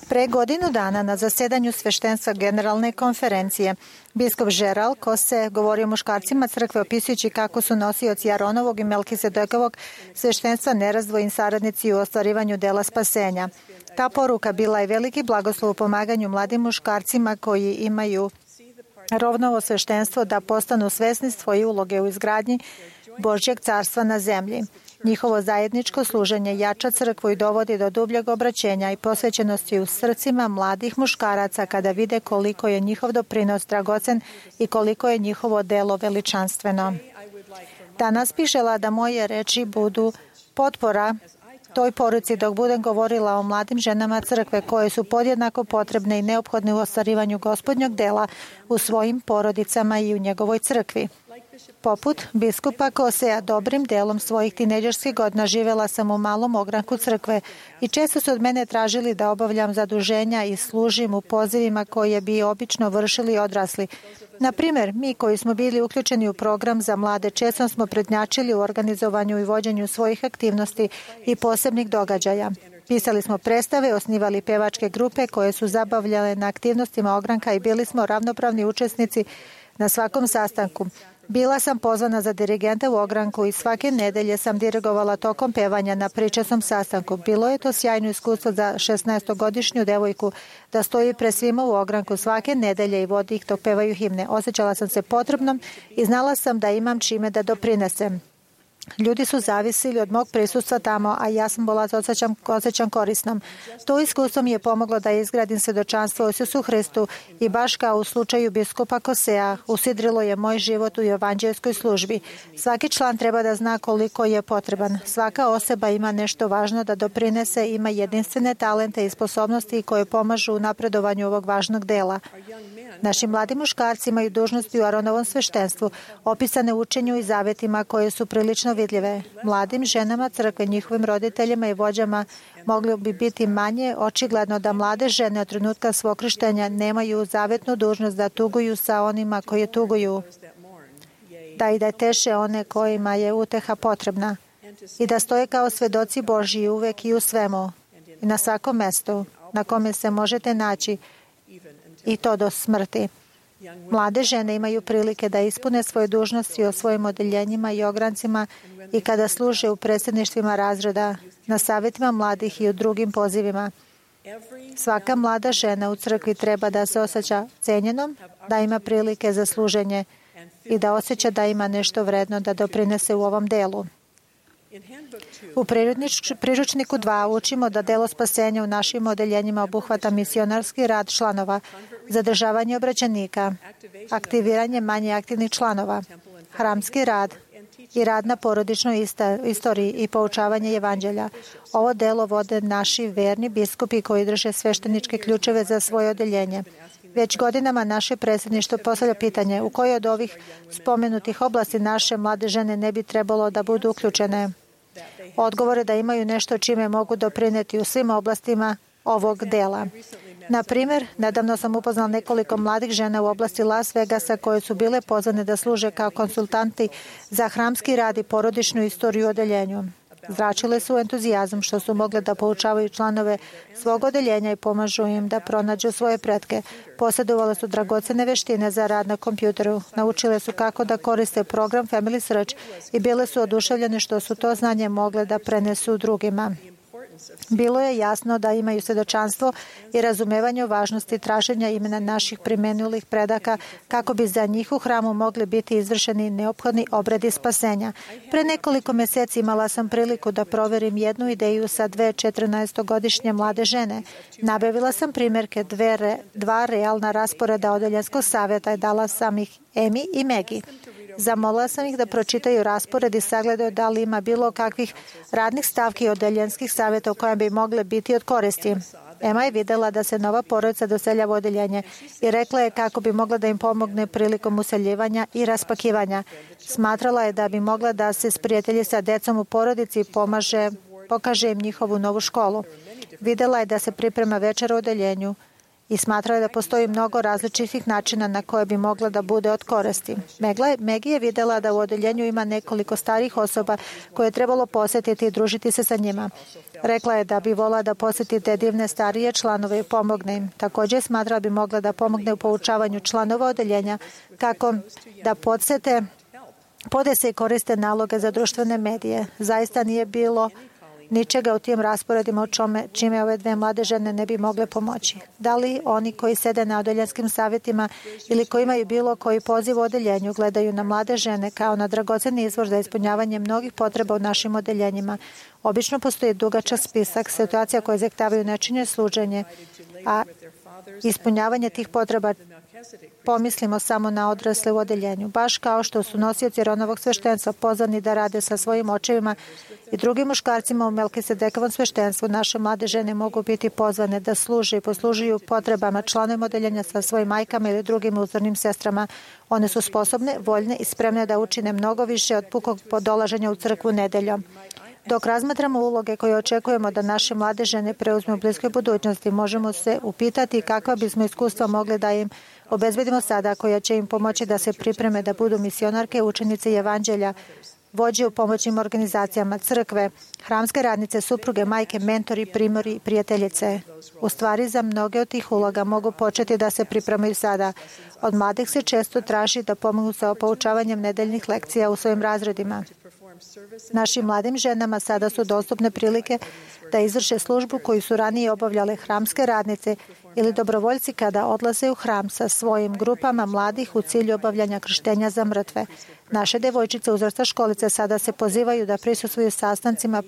Pre godinu dana na zasedanju sveštenstva generalne konferencije biskup Žeral Kose govorio muškarcima crkve opisujući kako su nosioci Aronovog i Melkisedekovog sveštenstva nerazdvojni saradnici u ostvarivanju dela spasenja. Ta poruka bila je veliki blagoslov u pomaganju mladim muškarcima koji imaju rovnovo sveštenstvo da postanu svesni svoje uloge u izgradnji Božjeg carstva na zemlji. Njihovo zajedničko služenje jača crkvu i dovodi do dubljeg obraćenja i posvećenosti u srcima mladih muškaraca kada vide koliko je njihov doprinos dragocen i koliko je njihovo delo veličanstveno. Danas bih žela da moje reči budu potpora toj poruci dok budem govorila o mladim ženama crkve koje su podjednako potrebne i neophodne u ostvarivanju Gospodnjeg dela u svojim porodicama i u njegovoj crkvi. Poput biskupa Kosea, dobrim delom svojih tinejdžerskih godina živela sam u malom ogranku crkve i često su od mene tražili da obavljam zaduženja i služim u pozivima koje bi obično vršili odrasli. Na primjer, mi koji smo bili uključeni u program za mlade često smo prednjačili u organizovanju i vođenju svojih aktivnosti i posebnih događaja. Pisali smo predstave, osnivali pevačke grupe koje su zabavljale na aktivnostima ogranka i bili smo ravnopravni učesnici na svakom sastanku. Bila sam pozvana za dirigenta u ogranku i svake nedelje sam dirigovala tokom pevanja na pričasnom sastanku. Bilo je to sjajno iskustvo za 16-godišnju devojku da stoji pred svima u ogranku svake nedelje i vodi ih dok pevaju himne. Osjećala sam se potrebnom i znala sam da imam čime da doprinesem. Ljudi su zavisili od mog prisustva tamo, a ja sam bila osjećam korisnom. To iskustvo mi je pomoglo da izgradim svjedočanstvo o Isusu Hristu i baš kao u slučaju biskupa Kosea, usidrilo je moj život u evanđeljskoj službi. Svaki član treba da zna koliko je potreban. Svaka osoba ima nešto važno da doprinese, ima jedinstvene talente i sposobnosti koje pomažu u napredovanju ovog važnog dela. Naši mladi muškarci imaju dužnosti u Aronovom sveštenstvu, opisane u učenju i zavetima koje su prilično vidljive. Mladim ženama crkve, njihovim roditeljima i vođama moglo bi biti manje očigledno da mlade žene od trenutka svog krštenja nemaju zavetnu dužnost da tuguju sa onima koji tuguju, da i da teše one kojima je uteha potrebna i da stoje kao svedoci Božji uvek i u svemu i na svakom mestu na kome se možete naći i to do smrti. Mlade žene imaju prilike da ispune svoje dužnosti o svojim odeljenjima i ograncima i kada služe u predsjedništvima razreda, na savjetima mladih i u drugim pozivima. Svaka mlada žena u crkvi treba da se osjeća cenjenom, da ima prilike za služenje i da osjeća da ima nešto vredno da doprinese u ovom delu. U priručniku 2 učimo da delo spasenja u našim odeljenjima obuhvata misionarski rad članova, zadržavanje obraćenika, aktiviranje manje aktivnih članova, hramski rad i rad na porodičnoj istoriji i poučavanje evanđelja. Ovo delo vode naši verni biskupi koji drže svešteničke ključeve za svoje odeljenje. Već godinama naše predsjedništvo postavlja pitanje u kojoj od ovih spomenutih oblasti naše mlade žene ne bi trebalo da budu uključene. Odgovor je da imaju nešto čime mogu doprineti u svim oblastima ovog dela. Na primjer, nedavno sam upoznala nekoliko mladih žena u oblasti Las Vegasa koje su bile pozvane da služe kao konsultanti za hramski rad i porodičnu istoriju u odeljenju. Zračile su entuzijazam što su mogle da poučavaju članove svog odeljenja i pomažu im da pronađu svoje pretke. Posjedovale su dragocene veštine za rad na kompjuteru. Naučile su kako da koriste program Family Search i bile su oduševljene što su to znanje mogle da prenesu drugima. Bilo je jasno da imaju svjedočanstvo i razumevanje o važnosti traženja imena naših primenulih predaka kako bi za njih u hramu mogli biti izvršeni neophodni obredi spasenja. Pre nekoliko mjeseci imala sam priliku da proverim jednu ideju sa 2 14-godišnje mlade žene. Nabavila sam primjerke 2 realna rasporeda odeljenskog savjeta i dala sam ih Emi i Megi. Zamolila sam ih da pročitaju raspored i sagledaju da li ima bilo kakvih radnih stavki odeljenskih savjeta u kojem bi mogle biti od koristi. Ema je vidjela da se nova porodica doseljava u odeljenje i rekla je kako bi mogla da im pomogne prilikom useljivanja i raspakivanja. Smatrala je da bi mogla da se sprijatelji sa decom u porodici i pokaže im njihovu novu školu. Vidjela je da se priprema večera u odeljenju i smatrao je da postoji mnogo različitih načina na koje bi mogla da bude od koristi. Maggie je videla da u odeljenju ima nekoliko starih osoba koje je trebalo posjetiti i družiti se sa njima. Rekla je da bi volila da posjeti te divne starije članove i pomogne im. Također smatrala bi mogla da pomogne u poučavanju članova odeljenja kako da podese i koriste naloge za društvene medije. Zaista nije bilo ničega u tim rasporedima čime ove dve mlade žene ne bi mogle pomoći. Da li oni koji sede na odeljanskim savjetima ili koji imaju bilo koji poziv u odeljenju gledaju na mlade žene kao na dragoceni izvor za ispunjavanje mnogih potreba u našim odeljenjima? Obično postoji dugačak spisak situacija koje zahtijevaju nečinje služenje, a ispunjavanje tih potreba pomislimo samo na odrasle u odeljenju. Baš kao što su nosioci Aronovog sveštenstva pozvani da rade sa svojim očevima i drugim muškarcima u Melkisedekovom sveštenstvu, naše mlade žene mogu biti pozvane da služe i poslužuju potrebama članovima odeljenja sa svojim majkama ili drugim uzornim sestrama. One su sposobne, voljne i spremne da učine mnogo više od pukog dolaženja u crkvu nedeljom. Dok razmatramo uloge koje očekujemo da naše mlade žene preuzme u bliskoj budućnosti, možemo se upitati kakva bismo iskustva mogli da im obezbedimo sada, koja će im pomoći da se pripreme da budu misionarke, učenice i evanđelja, vođe u pomoćnim organizacijama, crkve, hramske radnice, supruge, majke, mentori, primori i prijateljice. U stvari, za mnoge od tih uloga mogu početi da se pripremaju sada. Od mladih se često traži da pomognu sa poučavanjem nedeljnih lekcija u svojim razredima. Našim mladim ženama sada su dostupne prilike da izvrše službu koju su ranije obavljale hramske radnice ili dobrovoljci kada odlaze u hram sa svojim grupama mladih u cilju obavljanja krštenja za mrtve. Naše devojčice uzrasta školice sada se pozivaju da prisustvuju sastancima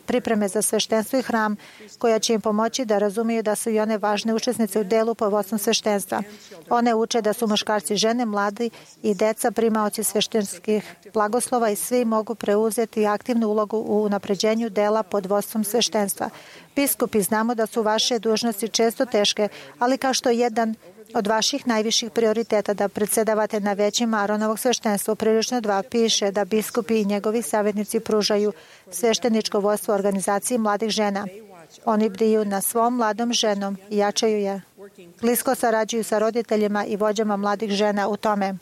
pripreme za sveštenstvo i hram, koja će im pomoći da razumiju da su i one važne učesnice u delu pod vodstvom sveštenstva. One uče da su muškarci, žene, mladi i deca primaoci sveštenskih blagoslova i svi mogu preuzeti aktivnu ulogu u unapređenju dela pod vodstvom sveštenstva. Biskupi, znamo da su vaše dužnosti često teške, ali kao što jedan od vaših najviših prioriteta da predsedavate na većima Aronovog sveštenstva, prilično 2 piše da biskupi i njegovi savjetnici pružaju svešteničko vodstvo organizaciji mladih žena. Oni bdiju na svom mladom ženom i jačaju je. Blisko sarađuju sa roditeljima i vođama mladih žena u tome.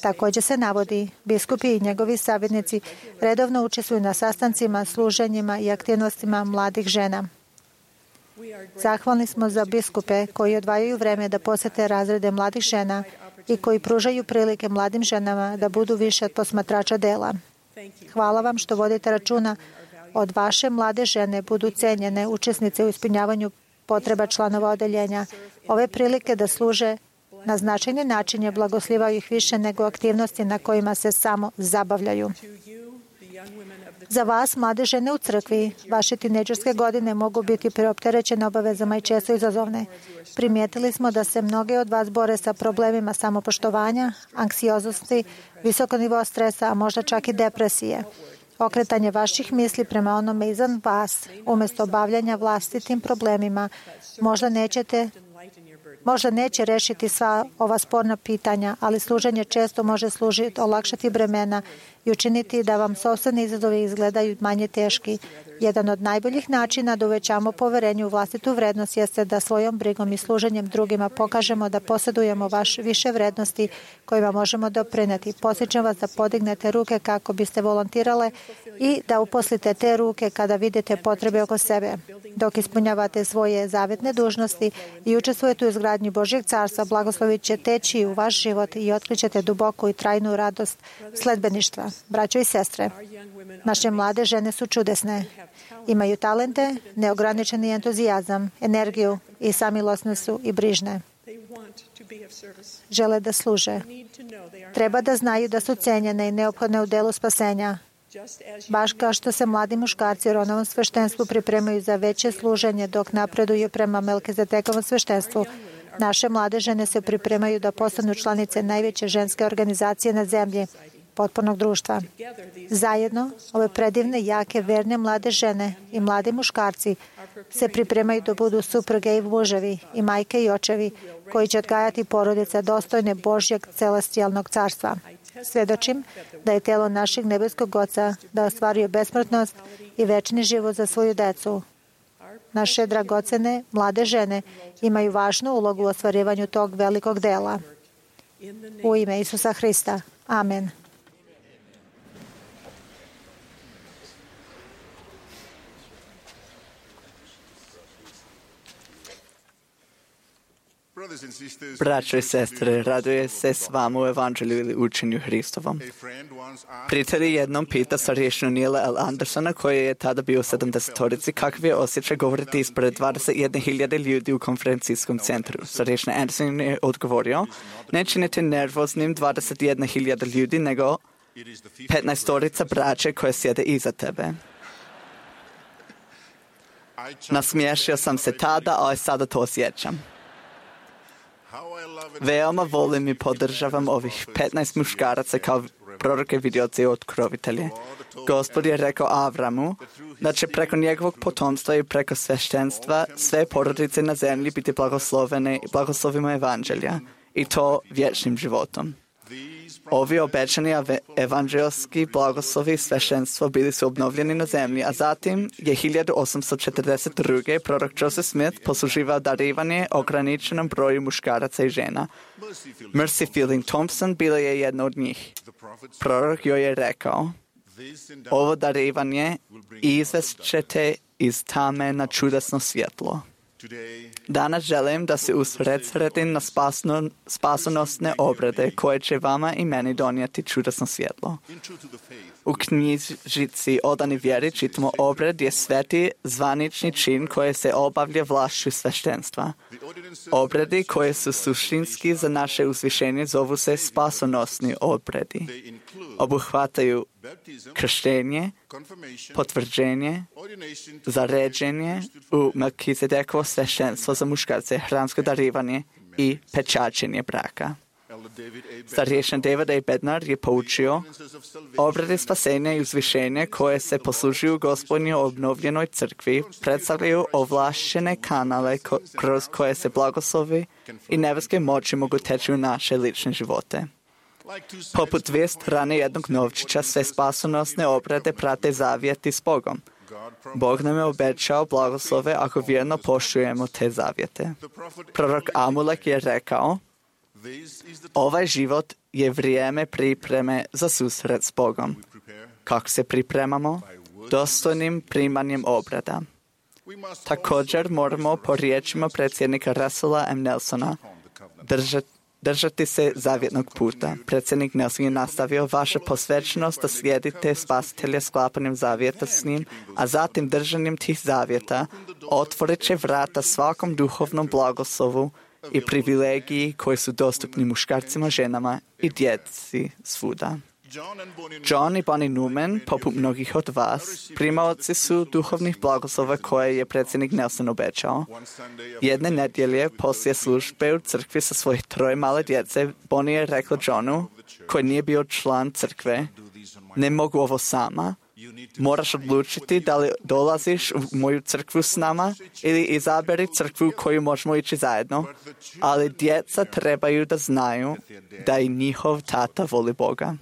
Također se navodi, biskupi i njegovi savjetnici redovno učestvuju na sastancima, služenjima i aktivnostima mladih žena. Zahvalni smo za biskupe koji odvajaju vreme da posete razrede mladih žena i koji pružaju prilike mladim ženama da budu više od posmatrača dela. Hvala vam što vodite računa od vaše mlade žene budu cenjene učesnice u ispunjavanju potreba članova odeljenja. Ove prilike da služe na značajni način je blagoslivaju ih više nego aktivnosti na kojima se samo zabavljaju. Za vas, mlade žene u crkvi, vaše tinejdžerske godine mogu biti preopterećene obavezama i često izazovne. Primijetili smo da se mnoge od vas bore sa problemima samopoštovanja, anksioznosti, visoko nivo stresa, a možda čak i depresije. Okretanje vaših misli prema onome izvan vas, umjesto bavljanja vlastitim problemima, možda neće rešiti sva ova sporna pitanja, ali služenje često može olakšati bremena i učiniti da vam sopstveni izazovi izgledaju manje teški. Jedan od najboljih načina da uvećamo poverenje u vlastitu vrednost jeste da svojom brigom i služenjem drugima pokažemo da posjedujemo više vrednosti kojima možemo doprineti. Podsjećam vas da podignete ruke kako biste volontirale i da uposlite te ruke kada vidite potrebe oko sebe. Dok ispunjavate svoje zavetne dužnosti i učestvujete u izgradnji Božjeg carstva, blagoslovi će teći u vaš život i otkrićete duboku i trajnu radost sledbeništva. Braćo i sestre, naše mlade žene su čudesne. Imaju talente, neograničeni entuzijazam, energiju i samilosne su i brižne. Žele da služe. Treba da znaju da su cenjene i neophodne u delu spasenja. Baš kao što se mladi muškarci u Aronovom sveštenstvu pripremaju za veće služenje dok napreduju prema Melkizedekovom sveštenstvu, naše mlade žene se pripremaju da postanu članice najveće ženske organizacije na zemlji, potpunog društva. Zajedno, ove predivne, jake, verne mlade žene i mladi muškarci se pripremaju da budu supruge i muževi i majke i očevi koji će odgajati porodice dostojne Božjeg celestijalnog carstva. Svedočim da je telo našeg nebeskog Oca da ostvaruje besmrtnost i večni život za svoju decu. Naše dragocene mlade žene imaju važnu ulogu u ostvarivanju tog velikog dela. U ime Isusa Hrista. Amen. Braćo i sestre, raduje se s vama u evanđelju ili učenju Hristovom. Prijatelj jednom pita starješinu Nila L. Andersona, koji je tada bio u 70-torici, kakav je osjećaj govoriti ispred 21.000 ljudi u konferencijskom centru. Starješina Anderson je odgovorio, ne činite nervoznim 21.000 ljudi, nego 15-torica braće koje sjede iza tebe. Nasmiješio sam se tada, ali sada to osjećam. Veoma volim i podržavam ovih 15 muškaraca kao proroke, vidioce i otkrovitelje. Gospod je rekao Avramu da će preko njegovog potomstva i preko sveštenstva sve porodice na zemlji biti blagoslovene i blagoslovimo evanđelja i to vječnim životom. Ovi obećani evanđelski blagoslovi i sveštenstvo bili su obnovljeni na zemlji, a zatim je 1842. prorok Joseph Smith posluživao darivanje ograničenom broju muškaraca i žena. Mercy Fielding Thompson bila je jedna od njih. Prorok joj je rekao, ovo darivanje izvest ćete iz tame na čudesno svjetlo. Danas želim da se usredsredim na spasonosne obrede koje će vama i meni donijeti čudesno svjetlo. U knjižici Odani vjeri čitamo obred je sveti zvanični čin koji se obavlja vlašću sveštenstva. Obredi koje su suštinski za naše uzvišenje zovu se spasonosni obredi. Obuhvataju krštenje, potvrđenje, zaređenje u Melkizedekovo sveštenstvo za muškarce, hramsko darivanje i pečaćenje braka. Starješin David A. Bednar je poučio obrede spasenja i uzvišenja koje se poslužuju Gospodnjoj obnovljenoj crkvi predstavljaju ovlašćene kanale kroz koje se blagoslovi i nebeske moći mogu teći u naše lične živote. Poput dvije strane jednog novčića, sve spasonosne obrede prate zavjeti s Bogom. Bog nam je obećao blagoslove ako vjerno poštujemo te zavjete. Prorok Amulek je rekao, ovaj život je vrijeme pripreme za susret s Bogom. Kako se pripremamo? Dostojnim primanjem obreda. Također moramo po riječima predsjednika Russella M. Nelsona držati se zavjetnog puta. Predsjednik Nelson je nastavio vaša posvećenost da slijedite spasitelja sklapanjem zavjeta s njim, a zatim držanjem tih zavjeta otvorit će vrata svakom duhovnom blagoslovu i privilegiji koji su dostupni muškarcima, ženama i djeci svuda. John i Bonnie Newman, poput mnogih od vas, primaoci su duhovnih blagoslova koje je predsjednik Nelson obećao. Jedne nedjelje poslije službe u crkvi sa svojih 3 male djece, Bonnie je rekla Johnu, koji nije bio član crkve, ne mogu ovo sama. Moraš odlučiti da li dolaziš u moju crkvu s nama ili izaberi crkvu u koju možemo ići zajedno, ali djeca trebaju da znaju da i njihov tata voli Boga.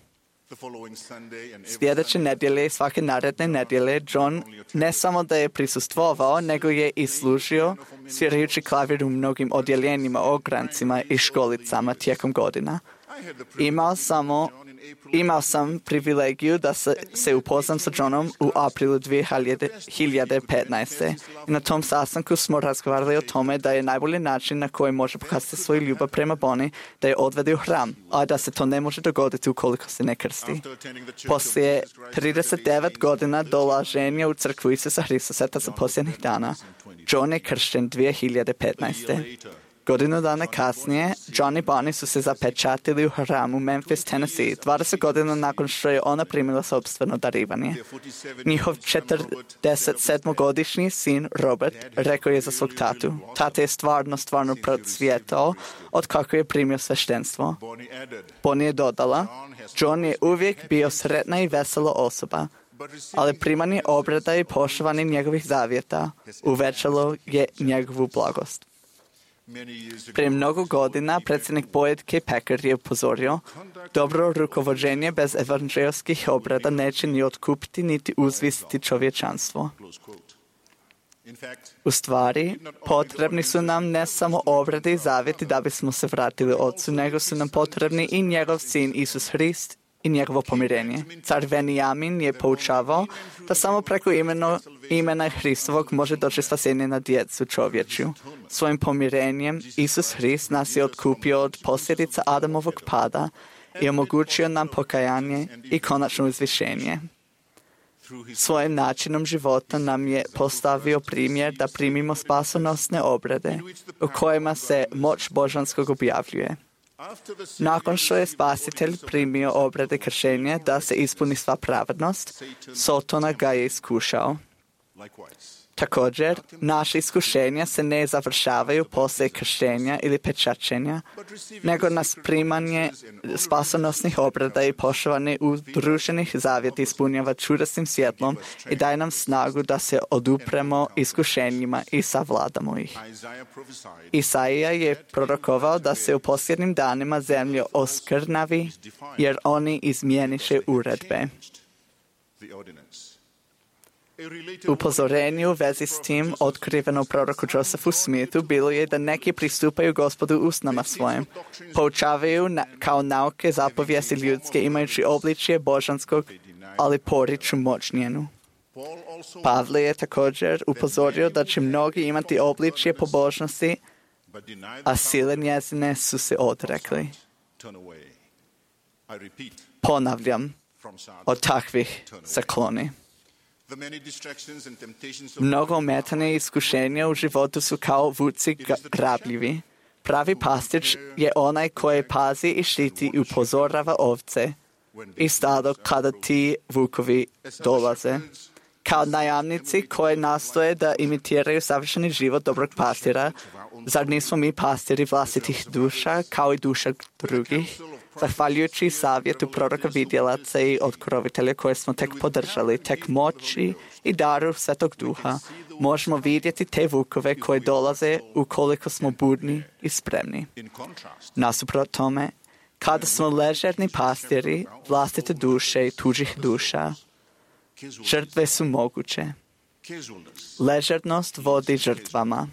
Sljedeće nedjelje i svake naredne nedjelje John ne samo da je prisustvovao, nego je i služio svirajući klavir u mnogim odjeljenjima, ograncima i školicama tijekom godina. Imao sam privilegiju da se upoznam sa Johnom u aprilu 2015. I na tom sastanku smo razgovarali o tome da je najbolji način na koji može pokazati svoju ljubav prema Bonnie da je odvede u hram, a da se to ne može dogoditi ukoliko se ne krsti. Poslije 39 godina dolaženja u crkvu Isusa Hrista sveta za posljednjih dana, John je kršten 2015. Godinu dana kasnije, John i Bonnie su se zapečatili u hramu Memphis, Tennessee, 20 godina nakon što je ona primila sopstveno darivanje. Njihov 47-godišnji sin Robert rekao je za svog tatu. Tata je stvarno procvjetao od kako je primio sveštenstvo. Bonnie je dodala, John je uvijek bio sretna i vesela osoba, ali primanje obreda i poštovanje njegovih zavjeta uvećalo je njegovu blagost. Prije mnogo godina predsjednik Boyd K. Packer je upozorio, dobro rukovođenje bez evanđelskih obreda neće ni otkupiti niti uzvisiti čovječanstvo. U stvari, potrebni su nam ne samo obrede i zavjeti da bismo se vratili Otcu, nego su nam potrebni i njegov sin Isus Hrist i njegovo pomirenje. Car Venijamin je poučavao da samo preko imena Hristovog može doći spasenje na djecu čovječju. Svojim pomirenjem Isus Hrist nas je otkupio od posljedica Adamovog pada i omogućio nam pokajanje i konačno uzvišenje. Svojim načinom života nam je postavio primjer da primimo spasonosne obrede u kojima se moć božanskog objavljuje. Nakon što je Spasitelj primio obrede kršenja da se ispuni sva pravednost, Sotona ga je iskušao. Također, naše iskušenja se ne završavaju poslije kršenja ili pečačenja, nego nas primanje spasonosnih obreda i poštovanje udruženih zavjeti ispunjava čudesnim svjetlom i daje nam snagu da se odupremo iskušenjima i savladamo ih. Isaija je prorokovao da se u posljednjim danima zemlja oskrnavi, jer oni izmijeniše uredbe. Upozorenje u vezi s tim otkriveno proroku Josephu Smithu bilo je da neki pristupaju Gospodu usnama svojim, poučavaju kao nauke zapovijesti ljudske imajući obličje božanskog, ali poriču moć njenu. Pavle je također upozorio da će mnogi imati obličje pobožnosti, a sile njezine su se odrekli. Ponavljam, od takvih se kloni. Mnogo ometanja i iskušenja u životu su kao vuci grabljivi. Pravi pastić je onaj koji pazi i štiti i upozorava ovce i stado kada ti vukovi dolaze. Kao najamnici koji nastoje da imitiraju savršeni život dobrog pastira, zar nismo mi pastiri vlastitih duša kao i duša drugih? Zahvaljujući savjetu proroka vidjelaca i otkrovitelja koje smo tek podržali, tek moći i daru Svetog Duha, možemo vidjeti te vukove koje dolaze ukoliko smo budni i spremni. Nasuprot tome, kada smo ležerni pastiri vlastite duše i tuđih duša, žrtve su moguće. Ležernost vodi žrtvama.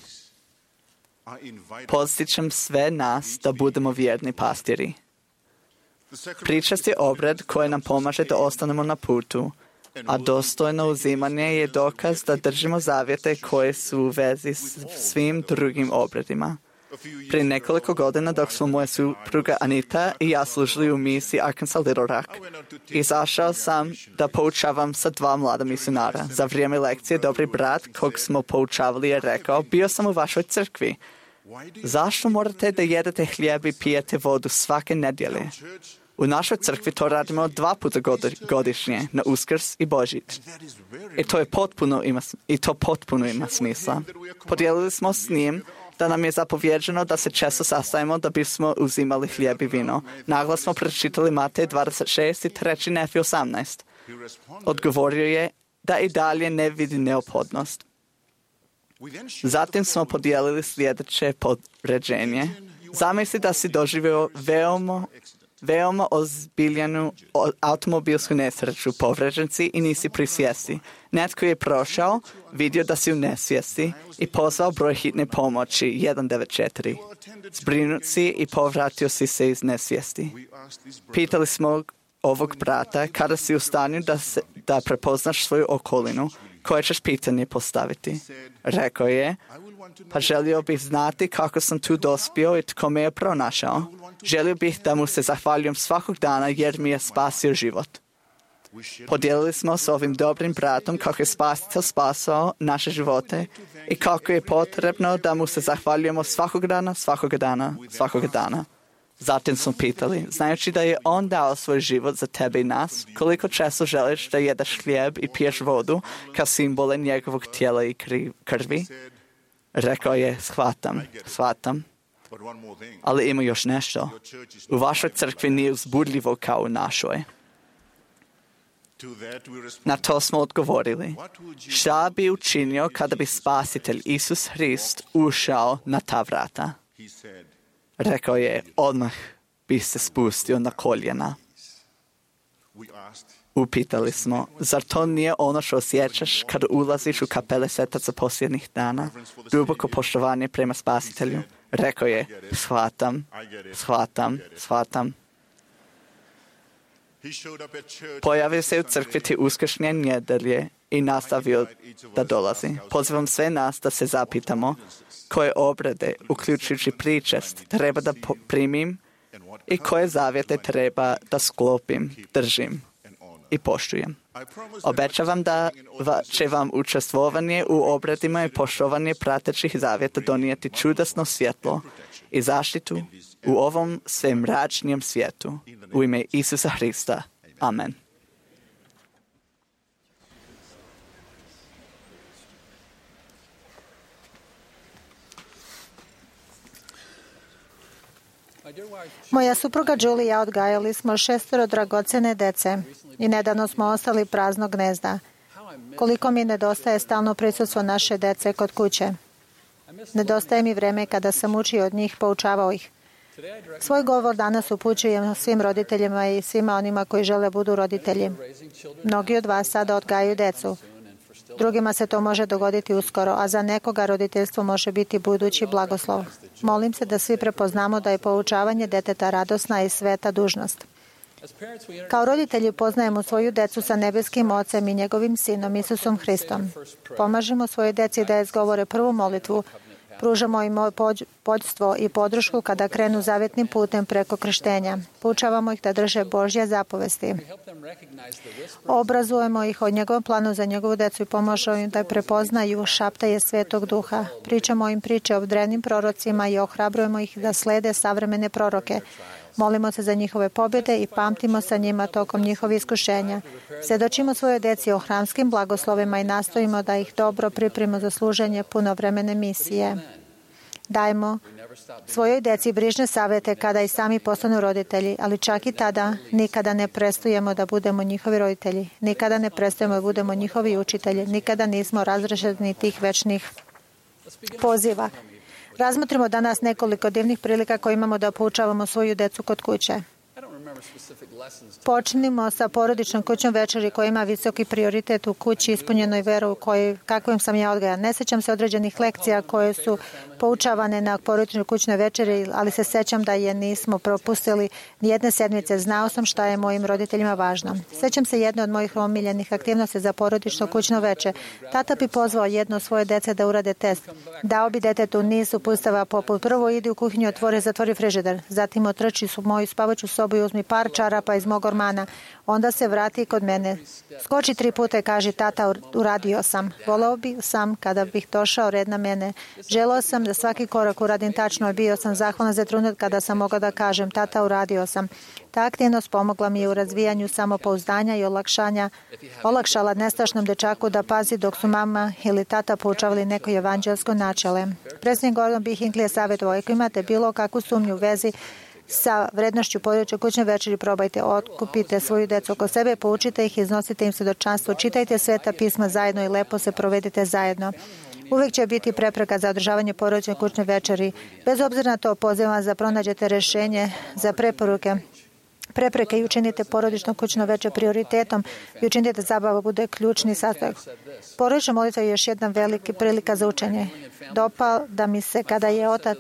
Podsjećam sve nas da budemo vjerni pastiri. Pričast je obred koji nam pomaže da ostanemo na putu, a dostojno uzimanje je dokaz da držimo zavjete koje su u vezi s svim drugim obredima. Prije nekoliko godina dok smo moja supruga Anita i ja služili u misiji Arkansas Little Rock, izašao sam da poučavam sa 2 mlada misionara. Za vrijeme lekcije dobri brat kog smo poučavali je rekao, bio sam u vašoj crkvi. Zašto morate da jedete hljeb i pijete vodu svake nedjelje? U našoj crkvi to radimo 2 puta godišnje, na Uskrs i Božić. I to potpuno ima smisla. Podijelili smo s njim da nam je zapovjeđeno da se često sastajemo da bismo uzimali hljeb i vino. Naglas smo pročitali Matej 26 i 3. Nefi 18. Odgovorio je da i dalje ne vidi neophodnost. Zatim smo podijelili sljedeće podređenje. Zamisli da si doživio veoma ozbiljenu automobilsku nesreću, povređen si i nisi pri svijesti. Netko je prošao, vidio da si u nesvijesti i pozvao broj hitne pomoći 194. Zbrinut si i povratio si se iz nesvijesti. Pitali smo ovog brata kada si u stanju da prepoznaš svoju okolinu, koje ćeš pitanje postaviti. Rekao je, pa želio bih znati kako sam tu dospio i tko me je pronašao. Želio bih da mu se zahvaljujem svakog dana jer mi je spasio život. Podijelili smo s ovim dobrim bratom kako je Spasitelj spasao naše živote i kako je potrebno da mu se zahvaljujemo svakog dana. Zatim smo pitali, znajući da je on dao svoj život za tebe i nas, koliko često želiš da jedeš hljeb i piješ vodu kao simbole njegovog tijela i krvi? Rekao je, shvatam. Ali ima još nešto. U vašoj crkvi nije uzbudljivo kao u našoj. Na to smo odgovorili. Šta bi učinio kada bi Spasitelj Isus Hrist ušao na ta vrata? Rekao je, odmah bi se spustio na koljena. Upitali smo, zar to nije ono što osjećaš kad ulaziš u kapele svetaca posljednjih dana? Duboko poštovanje prema Spasitelju. Rekao je, shvatam. Pojavio se u crkvi ti uskršnje nedjelje i nastavio da dolazi. Pozivam sve nas da se zapitamo koje obrede, uključujući pričest, treba da primim i koje zavjete treba da sklopim, držim i poštujem. Obećavam da će vam učestvovanje u obredima i poštovanje pratećih zavjeta donijeti čudesno svjetlo i zaštitu u ovom sve mračnijem svijetu. U ime Isusa Hrista. Amen. Moja supruga Julie i ja odgajali smo 6 dragocjene dece i nedavno smo ostali praznog gnezda. Koliko mi nedostaje stalno prisustvo naše dece kod kuće. Nedostaje mi vreme kada sam učio od njih, poučavao ih. Svoj govor danas upućujem svim roditeljima i svima onima koji žele budu roditelji. Mnogi od vas sada odgajaju decu. Drugima se to može dogoditi uskoro, a za nekoga roditeljstvo može biti budući blagoslov. Molim se da svi prepoznamo da je poučavanje deteta radosna i sveta dužnost. Kao roditelji poznajemo svoju decu sa nebeskim Ocem i njegovim Sinom Isusom Hristom. Pomažemo svojoj deci da izgovore prvu molitvu, pružamo im pođstvo i podršku kada krenu zavjetnim putem preko krštenja. Poučavamo ih da drže Božje zapovesti. Obrazujemo ih o njegovom planu za njegovu decu i pomažemo im da prepoznaju šaptaje Svetog Duha. Pričamo im priče o drevnim prorocima i ohrabrujemo ih da slede savremene proroke. Molimo se za njihove pobjede i pamtimo sa njima tokom njihovih iskušenja. Svjedočimo svojoj deci o hramskim blagoslovima i nastojimo da ih dobro pripremimo za služenje punovremene misije. Dajmo svojoj deci brižne savjete kada i sami postanu roditelji, ali čak i tada nikada ne prestajemo da budemo njihovi roditelji. Nikada ne prestajemo da budemo njihovi učitelji. Nikada nismo razrešeni tih večnih poziva. Razmotrimo danas nekoliko divnih prilika koje imamo da poučavamo svoju decu kod kuće. Počnimo sa porodičnom kućnom večeri koja ima visoki prioritet u kući ispunjenoj veru kakvim sam ja odgajan. Ne sjećam se određenih lekcija koje su poučavane na porodičnoj kućnoj večeri, ali se sjećam da je nismo propustili nijedne sedmice. Znao sam šta je mojim roditeljima važno. Sjećam se jedne od mojih omiljenih aktivnosti za porodično kućno veče. Tata bi pozvao jedno svoje dece da urade test. Dao bi detetu niz uputstava poput prvo idi u kuhinju, zatvori frižider. Zatim otrči u moju spavaću sobu i uzmi par čarapa iz mog ormana. Onda se vrati kod mene. Skoči 3 puta i kaže tata uradio sam. Voleo bi sam kada bih došao red na mene. Želeo sam da svaki korak uradim tačno i bio sam zahvalan za trenutak kada sam mogao da kažem tata uradio sam. Ta aktivnost pomogla mi u razvijanju samopouzdanja i olakšala nestašnom dečaku da pazi dok su mama ili tata poučavali neko evanđelsko načele. Predsjednik Gordon B. Hinckley je savjetovao, ako imate bilo kakvu sumnju u vezi sa vrednošću porodične kućne večeri, probajte, otkupite svoju decu oko sebe, poučite ih, iznosite im svjedočanstvo, čitajte Sveta pisma zajedno i lepo se provedite zajedno. Uvijek će biti prepreka za održavanje porodične kućne večeri. Bez obzira na to, pozivam vas da pronađete rješenje za prepreke i učinite porodično kućno veče prioritetom i učinite da zabava bude ključni sastojak. Porodična molitva je još jedna velika prilika za učenje. Dopada mi se kada je otac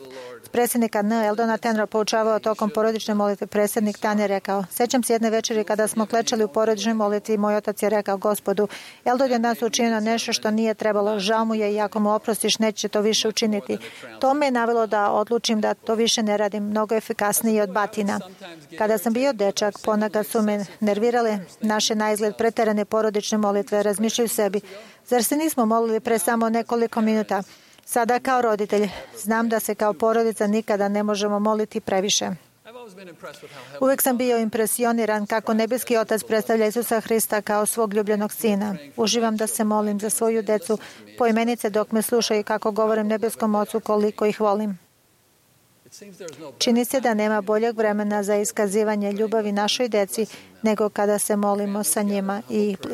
predsjednika N. Eldona Tenra poučavao tokom porodične molitve. Predsjednik Tan je rekao, sjećam se jedne večeri kada smo klečali u porodičnoj molitvi i moj otac je rekao, Gospodu, Eldon je nas učinio nešto što nije trebalo, žao mu je i ako mu oprostiš neće to više učiniti. To me je navelo da odlučim da to više ne radim, mnogo efikasnije od batina. Kada sam bio dečak, ponekad su me nervirale naše naizgled preterane porodične molitve, razmišljaju sebi, zar se nismo molili pre samo nekoliko minuta? Sada kao roditelj znam da se kao porodica nikada ne možemo moliti previše. Uvijek sam bio impresioniran kako nebeski Otac predstavlja Isusa Hrista kao svog ljubljenog sina. Uživam da se molim za svoju decu poimenice dok me slušaju kako govorim nebeskom Ocu koliko ih volim. Čini se da nema boljeg vremena za iskazivanje ljubavi našoj deci nego kada se molimo sa njima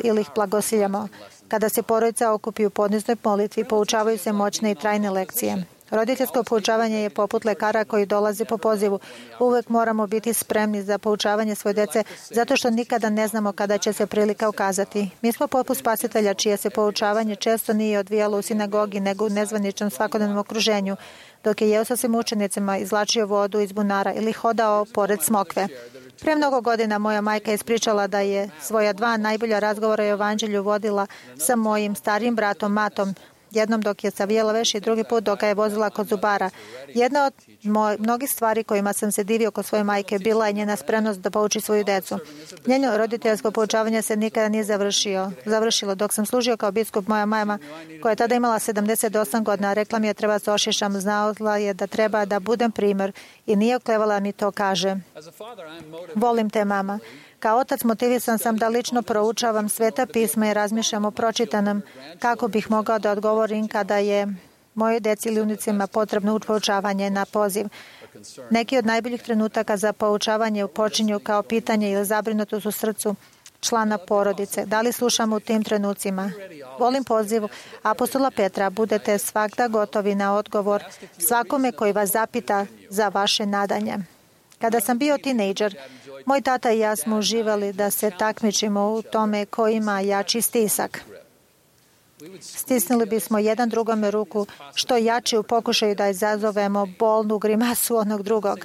ili ih blagosiljamo. Kada se porodica okupi u podniznoj molitvi, poučavaju se moćne i trajne lekcije. Roditeljsko poučavanje je poput lekara koji dolazi po pozivu. Uvek moramo biti spremni za poučavanje svoje dece, zato što nikada ne znamo kada će se prilika ukazati. Mi smo poput Spasitelja, čije se poučavanje često nije odvijalo u sinagogi, nego u nezvaničnom svakodnevnom okruženju, dok je jeo sa svim učenicima, izvlačio vodu iz bunara ili hodao pored smokve. Pre mnogo godina moja majka je ispričala da je svoja 2 najbolja razgovora o evanđelju vodila sa mojim starijim bratom Matom, jednom dok je savijela veš i drugi put dok ga je vozila kod zubara. Jedna od mnogih stvari kojima sam se divio kod svoje majke bila je njena spremnost da pouči svoju decu. Njeno roditeljsko poučavanje se nikada nije završilo. Dok sam služio kao biskup, moja mama, koja je tada imala 78 godina, rekla mi je treba se ošišam, znala je da treba da budem primjer i nije oklevala mi to kaže. Volim te, mama. Kao otac motivisan sam da lično proučavam Sveta pisma i razmišljam o pročitanom kako bih mogao da odgovorim kada je mojoj deci ili unicima potrebno poučavanje na poziv. Neki od najboljih trenutaka za poučavanje počinju kao pitanje ili zabrinutost u srcu člana porodice. Da li slušamo u tim trenucima? Volim poziv apostola Petra, budete svakda gotovi na odgovor svakome koji vas zapita za vaše nadanje. Kada sam bio tinejdžer, moj tata i ja smo uživali da se takmičimo u tome ko ima jači stisak. Stisnuli bismo jedan drugome ruku što jači u pokušaju da izazovemo bolnu grimasu onog drugog.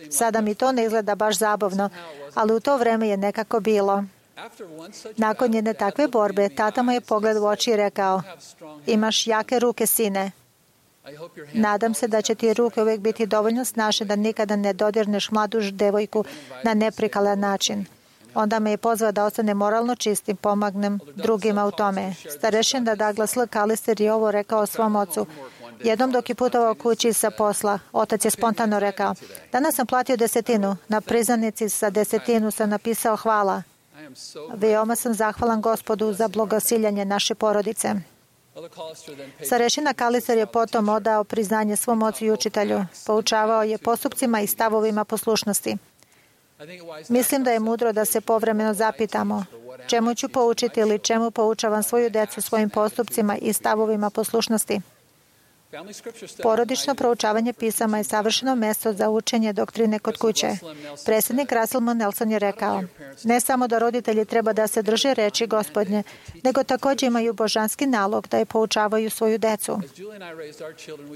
Sada mi to ne izgleda baš zabavno, ali u to vreme je nekako bilo. Nakon jedne takve borbe, tata mu je pogled u oči i rekao, imaš jake ruke, sine. Nadam se da će ti ruke uvijek biti dovoljno snažne da nikada ne dodirneš mladu devojku na neprikalan način. Onda me je pozvao da ostane moralno čistim, pomagnem drugima u tome. Starešina Douglas L. Callister je ovo rekao svom ocu. Jednom dok je putovao kući sa posla, otac je spontano rekao, danas sam platio 10. Na priznanici sa 10 sam napisao hvala. Veoma sam zahvalan Gospodu za blagosiljanje naše porodice. Starešina Callister je potom odao priznanje svom ocu i učitelju. Poučavao je postupcima i stavovima poslušnosti. Mislim da je mudro da se povremeno zapitamo čemu ću poučiti ili čemu poučavam svoju decu svojim postupcima i stavovima poslušnosti. Porodično proučavanje pisama je savršeno mesto za učenje doktrine kod kuće. Predsjednik Russell M. Nelson je rekao, ne samo da roditelji treba da se drže reči Gospodnje, nego također imaju božanski nalog da je poučavaju svoju decu.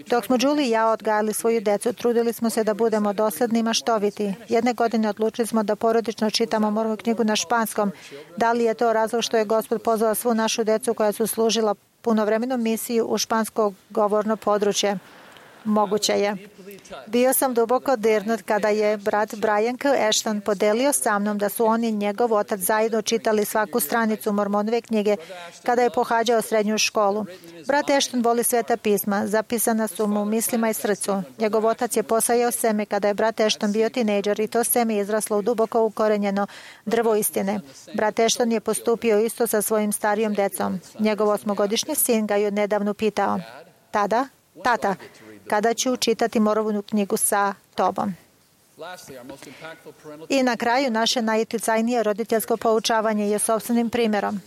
Dok smo Julie i ja odgajali svoju decu, trudili smo se da budemo dosledni i maštoviti. Jedne godine odlučili smo da porodično čitamo moju knjigu na španskom. Da li je to razlog što je Gospod pozvao svu našu decu koja su služila punovremenu misiju u špansko govorno područje? Moguće je. Bio sam duboko dirnut kada je brat Brian K. Ashton podelio sa mnom da su on i njegov otac zajedno čitali svaku stranicu Mormonove knjige kada je pohađao srednju školu. Brat Ashton voli Sveta pisma, zapisana su mu u mislima i srcu. Njegov otac je posajao seme kada je brat Ashton bio tinejdžer i to seme je izraslo u duboko ukorenjeno drvo istine. Brat Ashton je postupio isto sa svojim starijom decom. Njegov 8-godišnji sin ga je nedavno pitao, tata, kada ću čitati Mormonovu knjigu sa tobom? I na kraju naše najuticajnije roditeljsko poučavanje je sopstvenim primjerom.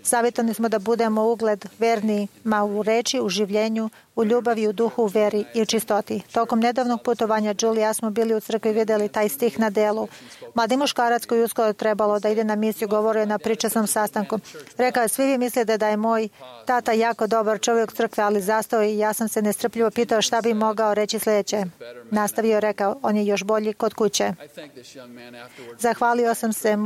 Savjetovani smo da budemo ugled vernima u reči, u življenju, u ljubavi, u duhu, u veri i u čistoti. Tokom nedavnog putovanja Julie i ja smo bili u crkvi i vidjeli taj stih na delu. Mladi muškarac koji uskoro trebalo da ide na misiju govorio je na pričasnom sastanku. Rekao je, svi vi mislite da je moj tata jako dobar čovjek u crkvi, ali zastao i ja sam se nestrpljivo pitao šta bi mogao reći sljedeće. Nastavio rekao, on je još bolji kod kuće. Zahvalio sam se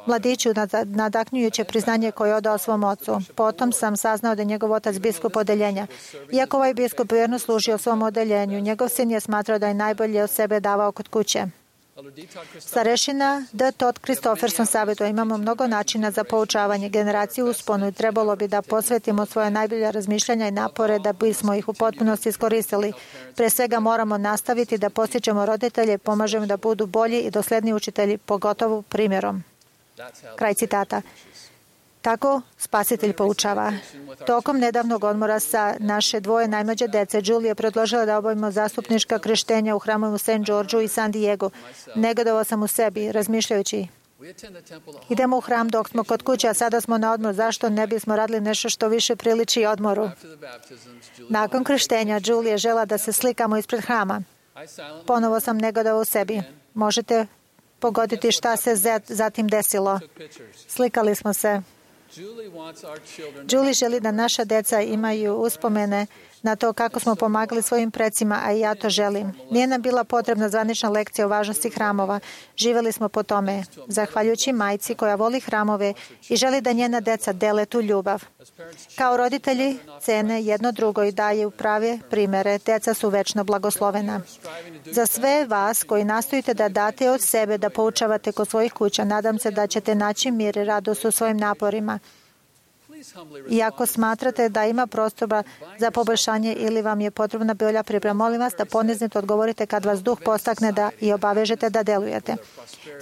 mladiću nadahnujuće priznanje koje je odao svom ocu. Potom sam saznao da je njegov otac biskup odeljenja. Iako ovaj biskup vjerno služio svom odeljenju, njegov sin je smatrao da je najbolje od sebe davao kod kuće. Starešina D. Todd Christopherson savjetuje, imamo mnogo načina za poučavanje generaciju usponu i trebalo bi da posvetimo svoje najbolje razmišljanja i napore da bismo ih u potpunosti iskoristili. Pre svega moramo nastaviti da postičemo roditelje i pomažemo da budu bolji i dosledni učitelji, pogotovo primjerom. Kraj citata. Tako Spasitelj poučava. Tokom nedavnog odmora sa naše 2 najmlađe dece, Julie je predložila da obavimo zastupnička krštenja u hramu u St. Georgeu i San Diego. Negodovao sam u sebi, razmišljajući, Idemo u hram dok smo kod kuće, a sada smo na odmoru. Zašto ne bismo radili nešto što više priliči odmoru? Nakon krštenja, Julie je žela da se slikamo ispred hrama. Ponovo sam negodovao u sebi. Možete pogoditi šta se zatim desilo. Slikali smo se. Julie želi da naša deca imaju uspomene na to kako smo pomagali svojim precima, a i ja to želim. Nije nam bila potrebna zvanična lekcija o važnosti hramova. Živjeli smo po tome, zahvaljujući majci koja voli hramove i želi da njena deca dele tu ljubav. Kao roditelji cene jedno drugo i daju prave primere. Deca su večno blagoslovena. Za sve vas koji nastojite da date od sebe, da poučavate kod svojih kuća, nadam se da ćete naći mir i radost u svojim naporima. I ako smatrate da ima prostora za poboljšanje ili vam je potrebna bolja priprema, molim vas da ponizno odgovorite kad vas duh postakne da i obavežete da delujete.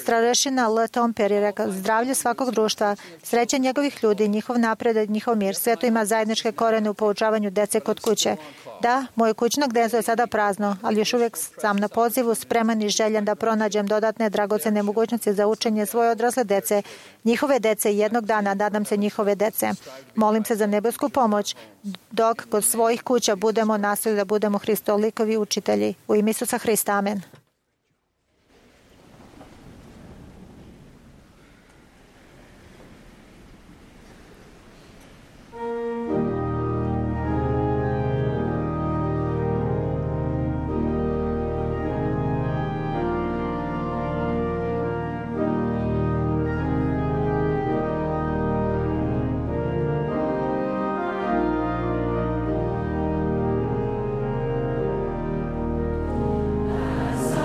Starešina L. Tomper je rekao, zdravlje svakog društva, sreće njegovih ljudi, njihov napredak, njihov mir, sve to ima zajedničke korene u poučavanju dece kod kuće. Da, moje kućno gnezdo je sada prazno, ali još uvijek sam na pozivu spreman i željen da pronađem dodatne dragocene mogućnosti za učenje svoje odrasle dece, njihove dece i jednog dana, nadam se, njihove dece. Molim se za nebesku pomoć dok kod svojih kuća budemo nastojali da budemo Hristolikovi učitelji. U ime Isusa Hrista, amen. As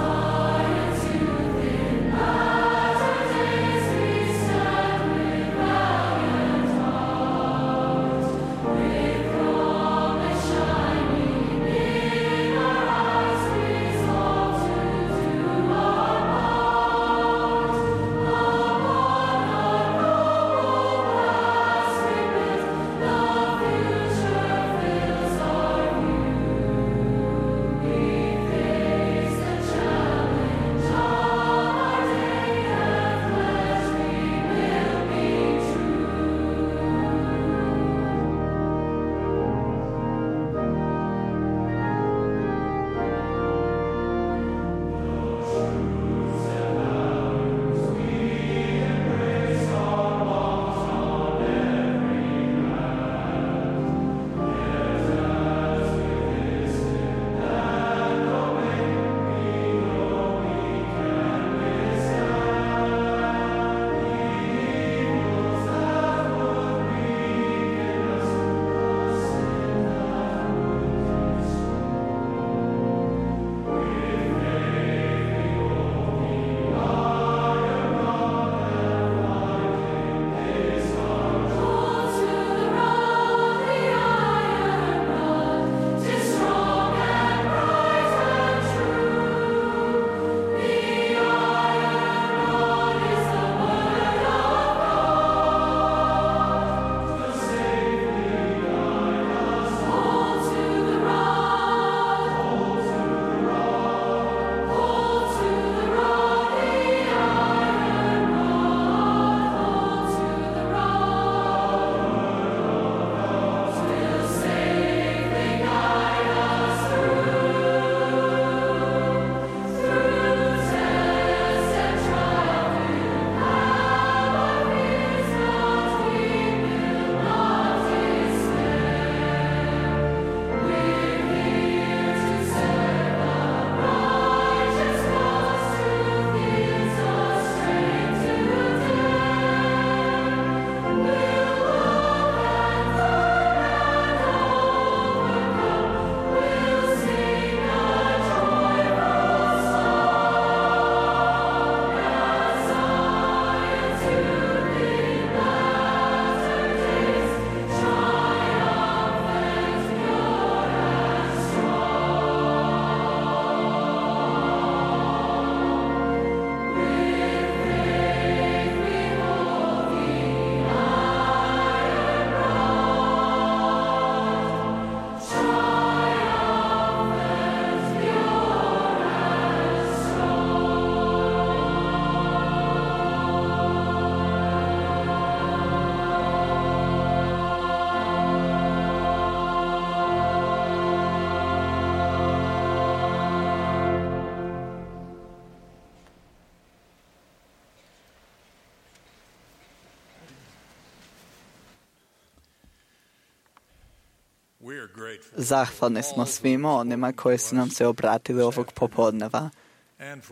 Zahvalni smo svima onima koji su nam se obratili ovog popodneva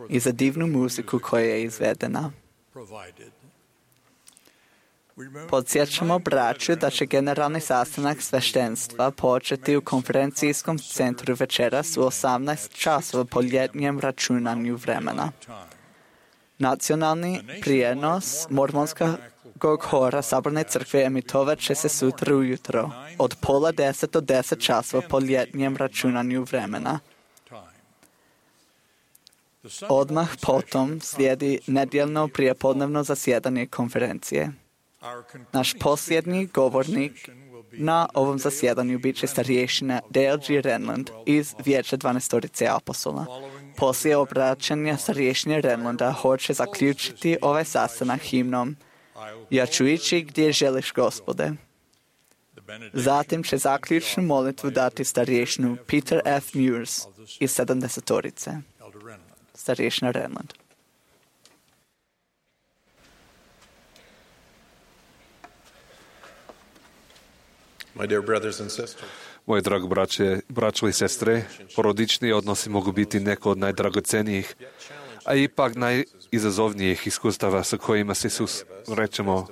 i za divnu muziku koja je izvedena. Podsjećamo braću da će generalni sastanak sveštenstva početi u konferencijskom centru večeras u 18 časova po ljetnjem računanju vremena. Nacionalni prijenos mormonskog hora Saborne crkve emitovat će se sutra ujutro od 9:30 do 10 časova po ljetnjem računanju vremena. Odmah potom slijedi nedjeljno prijepodnevno zasjedanje konferencije. Naš posljednji govornik na ovom zasjedanju bit će starješina Dale G. Renland iz Vijeća 12 apostola. Poslije obraćanja starješine Renlanda hoće zaključiti ovaj sastanak himnom Ja ću ići gdje želiš, Gospode. Zatim će zaključnu molitvu dati starješinu Peter F. Muirs iz 70-orice. Starješina Renland. Moje drago braćo i sestre, porodični odnosi mogu biti neko od najdragocenijih, a ipak najizazovnijih iskustava sa kojima se susrećemo.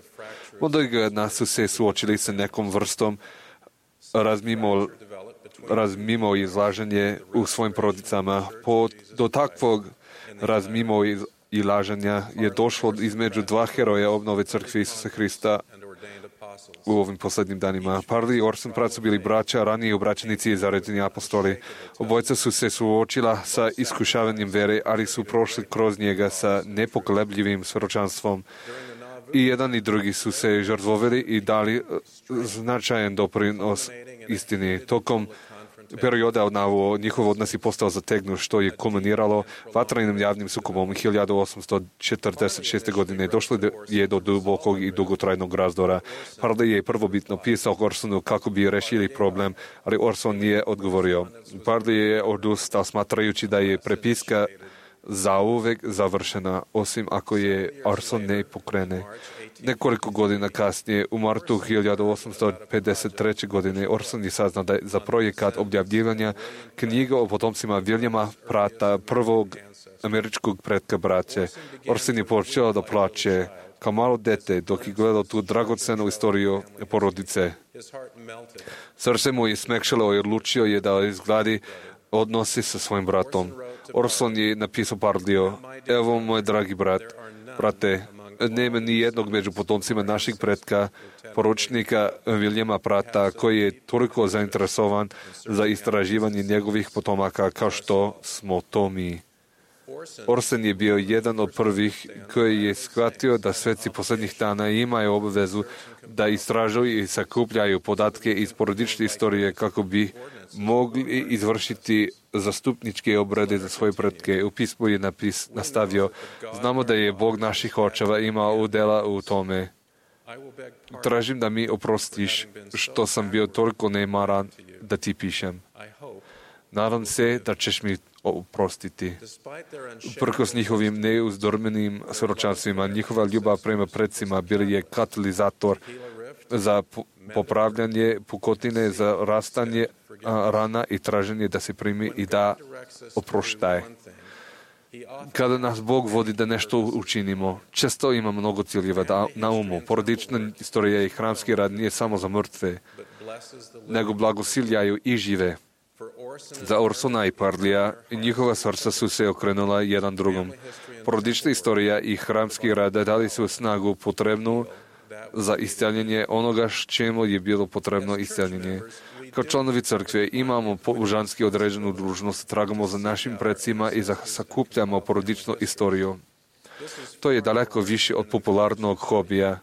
Mnogi od nas su se suočili sa nekom vrstom razmimo izlaženje u svojim porodicama. Do takvog razmimo izlaženja je došlo između dva heroja obnove crkve Isusa Hrista u ovim posljednjim danima. Parli i Orson Pratt su bili braća, ranije obraćenici i zaredni apostoli. Obojca su se suočila sa iskušavanjem vere, ali su prošli kroz njega sa nepokolebljivim svjedočanstvom. I jedan i drugi su se žrtvovali i dali značajan doprinos istini. Tokom perioda njihov odnos je postao zategnut, što je kulminiralo vatrenim javnim sukobom 1846. godine. Došlo je do dubokog i dugotrajnog razdora. Parley je prvobitno pisao Orsonu kako bi rešili problem, ali Orson nije odgovorio. Parley je odustao smatrajući da je prepiska zauvek završena, osim ako je Orson ne pokrene. Nekoliko godina kasnije, u martu 1853. godine, Orson je saznao da je za projekat objavljivanja knjiga o potomcima Williama Prata, prvog američkog pretka braće. Orson je počeo da plače kao malo dete dok je gledao tu dragocenu istoriju porodice. Srce mu je smekšalo i odlučio je da izgradi odnosi sa svojim bratom. Orson je napisao Parliju: evo, moj dragi brate, nema ni jednog među potomcima naših pretka, poručnika Williama Prata, koji je toliko zainteresovan za istraživanje njegovih potomaka kao što smo to mi. Orson je bio jedan od prvih koji je shvatio da sveci posljednjih dana imaju obavezu da istražuju i sakupljaju podatke iz porodične istorije kako bi mogli izvršiti zastupničke obrade za svoje pretke. U pismu je nastavio: znamo da je Bog naših očeva imao udjela u tome. Tražim da mi oprostiš što sam bio toliko nemaran da ti pišem. Nadam se da ćeš mi oprostiti. Uprkos njihovim neuzdormenim svjedočanstvima, njihova ljubav prema predsima bili je katalizator za popravljanje pukotine, za rastanje rana i traženje da se primi i da oproštaje. Kada nas Bog vodi da nešto učinimo, često ima mnogo ciljeva na umu. Porodična istorija i hramski rad nije samo za mrtve, nego blagosiljaju i žive. Za Orsona i Parlija njihova srca su se okrenula jedan drugom. Porodična istorija i hramski rad dali su snagu potrebnu za isceljenje onoga čemu je bilo potrebno isceljenje. Kao članovi crkve imamo božanski određenu dužnost, tragamo za našim predsima i sakupljamo porodičnu istoriju. To je daleko više od popularnog hobija,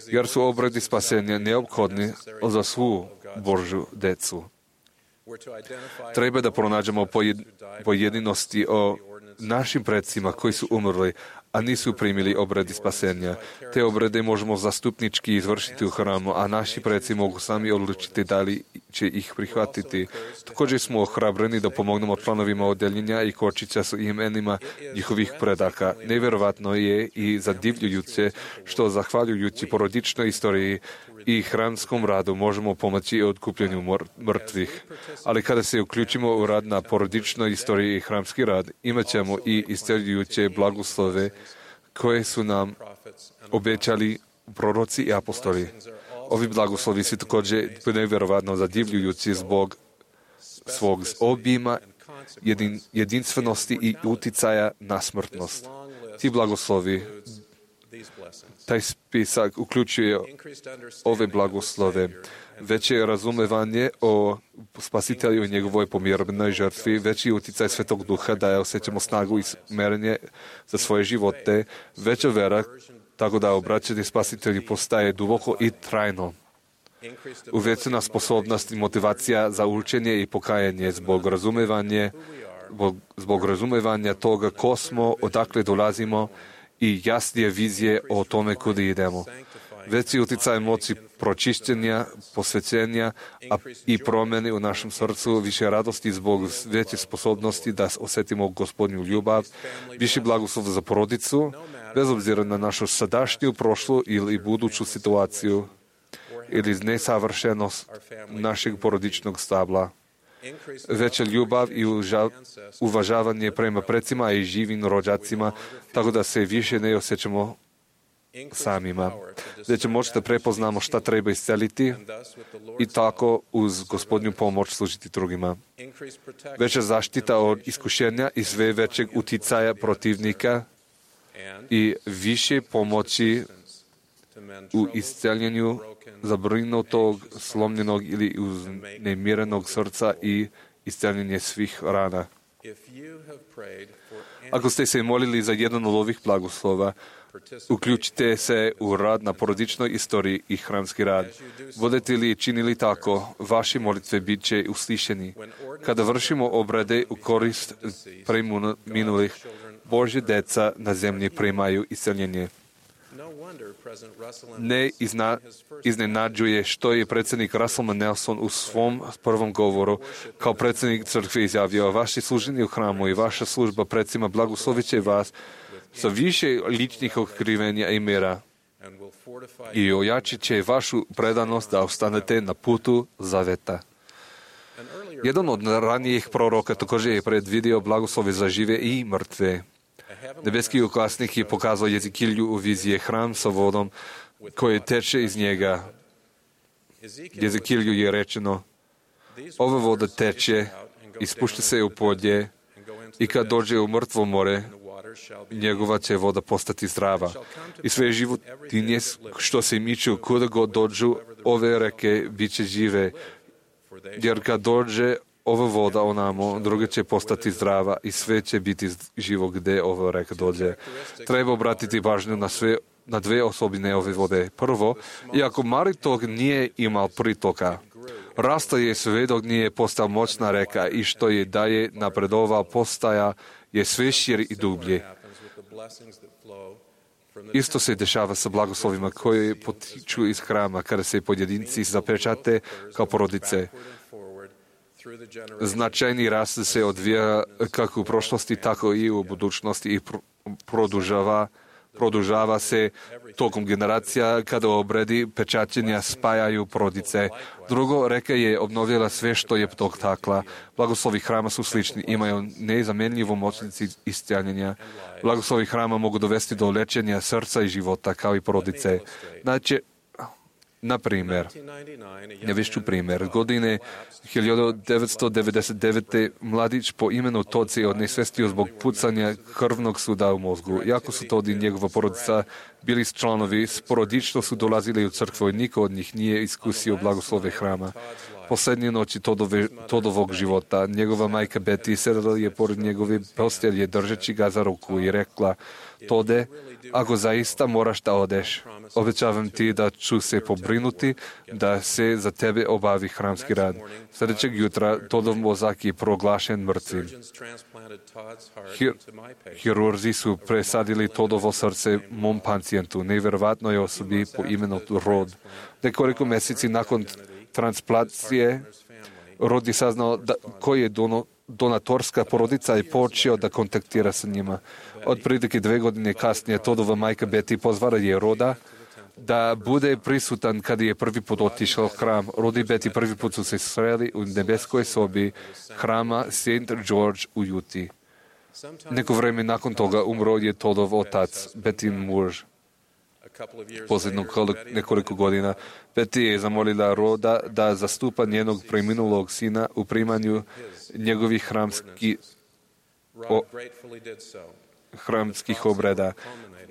jer su obredi spasenja neophodni za svu Božju decu. Treba da pronađemo pojedinosti o našim predsima koji su umrli, a nisu primili obredi spasenja. Te obrede možemo zastupnički izvršiti u hramu, a naši predsi mogu sami odlučiti da li će ih prihvatiti. Također smo ohrabreni da pomognemo članovima odeljenja i kočića s imenima njihovih predaka. Nevjerovatno je i zadivljujuće što zahvaljujući porodičnoj istoriji i hramskom radu možemo pomoći otkupljenju mrtvih. Ali kada se uključimo u rad na porodičnoj istoriji i hramski rad, imat ćemo i isceljujuće blagoslove koje su nam obećali proroci i apostoli. Ovi blagoslovi su također nevjerovatno zadivljujući zbog svog obima, jedinstvenosti i uticaja na smrtnost. Ti blagoslovi, taj spisak uključuje ove blagoslove. Veće razumevanje o spasitelju i njegovoj pomirenoj žrtvi, veći uticaj Svetog Duha da je osjećamo snagu i smerenje za svoje živote, veća vera, tako da obraćanje spasitelju postaje duboko i trajno. Uvećana sposobnost i motivacija za učenje i pokajanje zbog razumevanja toga ko smo, odakle dolazimo i jasnije vizije o tome kuda idemo. Veći uticaj moći pročišćenja, posvećenja i promjene u našem srcu, više radosti zbog veće sposobnosti da osjetimo Gospodnju ljubav, više blagoslov za porodicu, bez obzira na našu sadašnju, prošlu ili buduću situaciju ili nesavršenost našeg porodičnog stabla. Veća ljubav i uvažavanje prema precima i živim rođacima, tako da se više ne osjećamo samima. Već možete prepoznamo šta treba isceliti i tako uz Gospodnju pomoć služiti drugima. Veća zaštita od iskušenja i sve većeg uticaja protivnika i više pomoći u isceljenju zabrinutog, slomljenog ili uznemirenog srca i isceljenje svih rana. Ako ste se molili za jedan od ovih blagoslova, uključite se u rad na porodičnoj istoriji i hramski rad. Budete li činili tako, vaše molitve bit će uslišeni. Kada vršimo obrade u korist preminulih, Božje deca na zemlji primaju isceljenje. Ne iznenađuje što je predsjednik Russell Nelson u svom prvom govoru kao predsjednik crkve izjavio: vaše služenje u hramu i vaša služba predsima blagoslovit će vas sa više ličnih otkrivenja i mira i ojačit će vašu predanost da ostanete na putu zaveta. Jedan od ranijih proroka također je predvidio blagoslove za žive i mrtve. Nebeski uklasnik je pokazao Jezikilju u vizije hram sa vodom koje teče iz njega. Jezikilju je rečeno: ova voda teče, ispušta se u polje i kad dođe u mrtvo more, njegova će voda postati zdrava. I sve životinje što se miču kuda god dođu ove reke bit će žive, jer kad dođe ova voda onamo, druga će postati zdrava i sve će biti živo gde ova reka dođe. Treba obratiti pažnju na dve osobine ove vode. Prvo, iako mali tok nije imao pritoka, rasta je sve dok nije postao moćna reka i što je dalje napredovao postaja je sve širi i dublje. Isto se dešava sa blagoslovima koji potiču iz hrama kada se pojedinci zapečate kao porodice. Značajni rast se odvija kako u prošlosti, tako i u budućnosti i produžava se tokom generacija kada u obredi pečaćenja spajaju porodice. Drugo, reka je obnovila sve što je dotakla. Blagoslovi hrama su slični, imaju nezamenljivu moćnici isceljenja. Blagoslovi hrama mogu dovesti do lečenja srca i života kao i porodice. Znači, na primjer, navešću primjer, godine 1999. mladić po imenu Todd se odnesvestio zbog pucanja krvnog suda u mozgu. Iako su Todd i njegova porodica bili članovi, sporodično su dolazili u crkvu i niko od njih nije iskusio blagoslove hrama. Posljednje noći Toddovog života, njegova majka Betty sedala je pored njegove postelje držeći ga za ruku i rekla: Tode, ako zaista moraš da odeš, obećavam ti da ću se pobrinuti da se za tebe obavi hramski rad. Sljedećeg jutra Toddov mozak je proglašen mrtvim. Hirurzi su presadili Toddovo srce mom pacijentu, nevjerovatnoj osobi po imenu Rod. Nekoliko mjeseci nakon transplantacije, Rod je saznao koji je donatorska porodica i počeo da kontaktira sa njima. Od prilike 2 godine kasnije Todova majka Betty pozvala je Roda da bude prisutan kad je prvi put otišao u hram. Rod i Betty prvi put su se sreli u nebeskoj sobi hrama St. George u Utah. Neko vreme nakon toga umro je Todov otac, Betty muž. Posljednog nekoliko godina Betty je zamolila Roda da zastupa njenog preminulog sina u primanju njegovih hramskih obreda.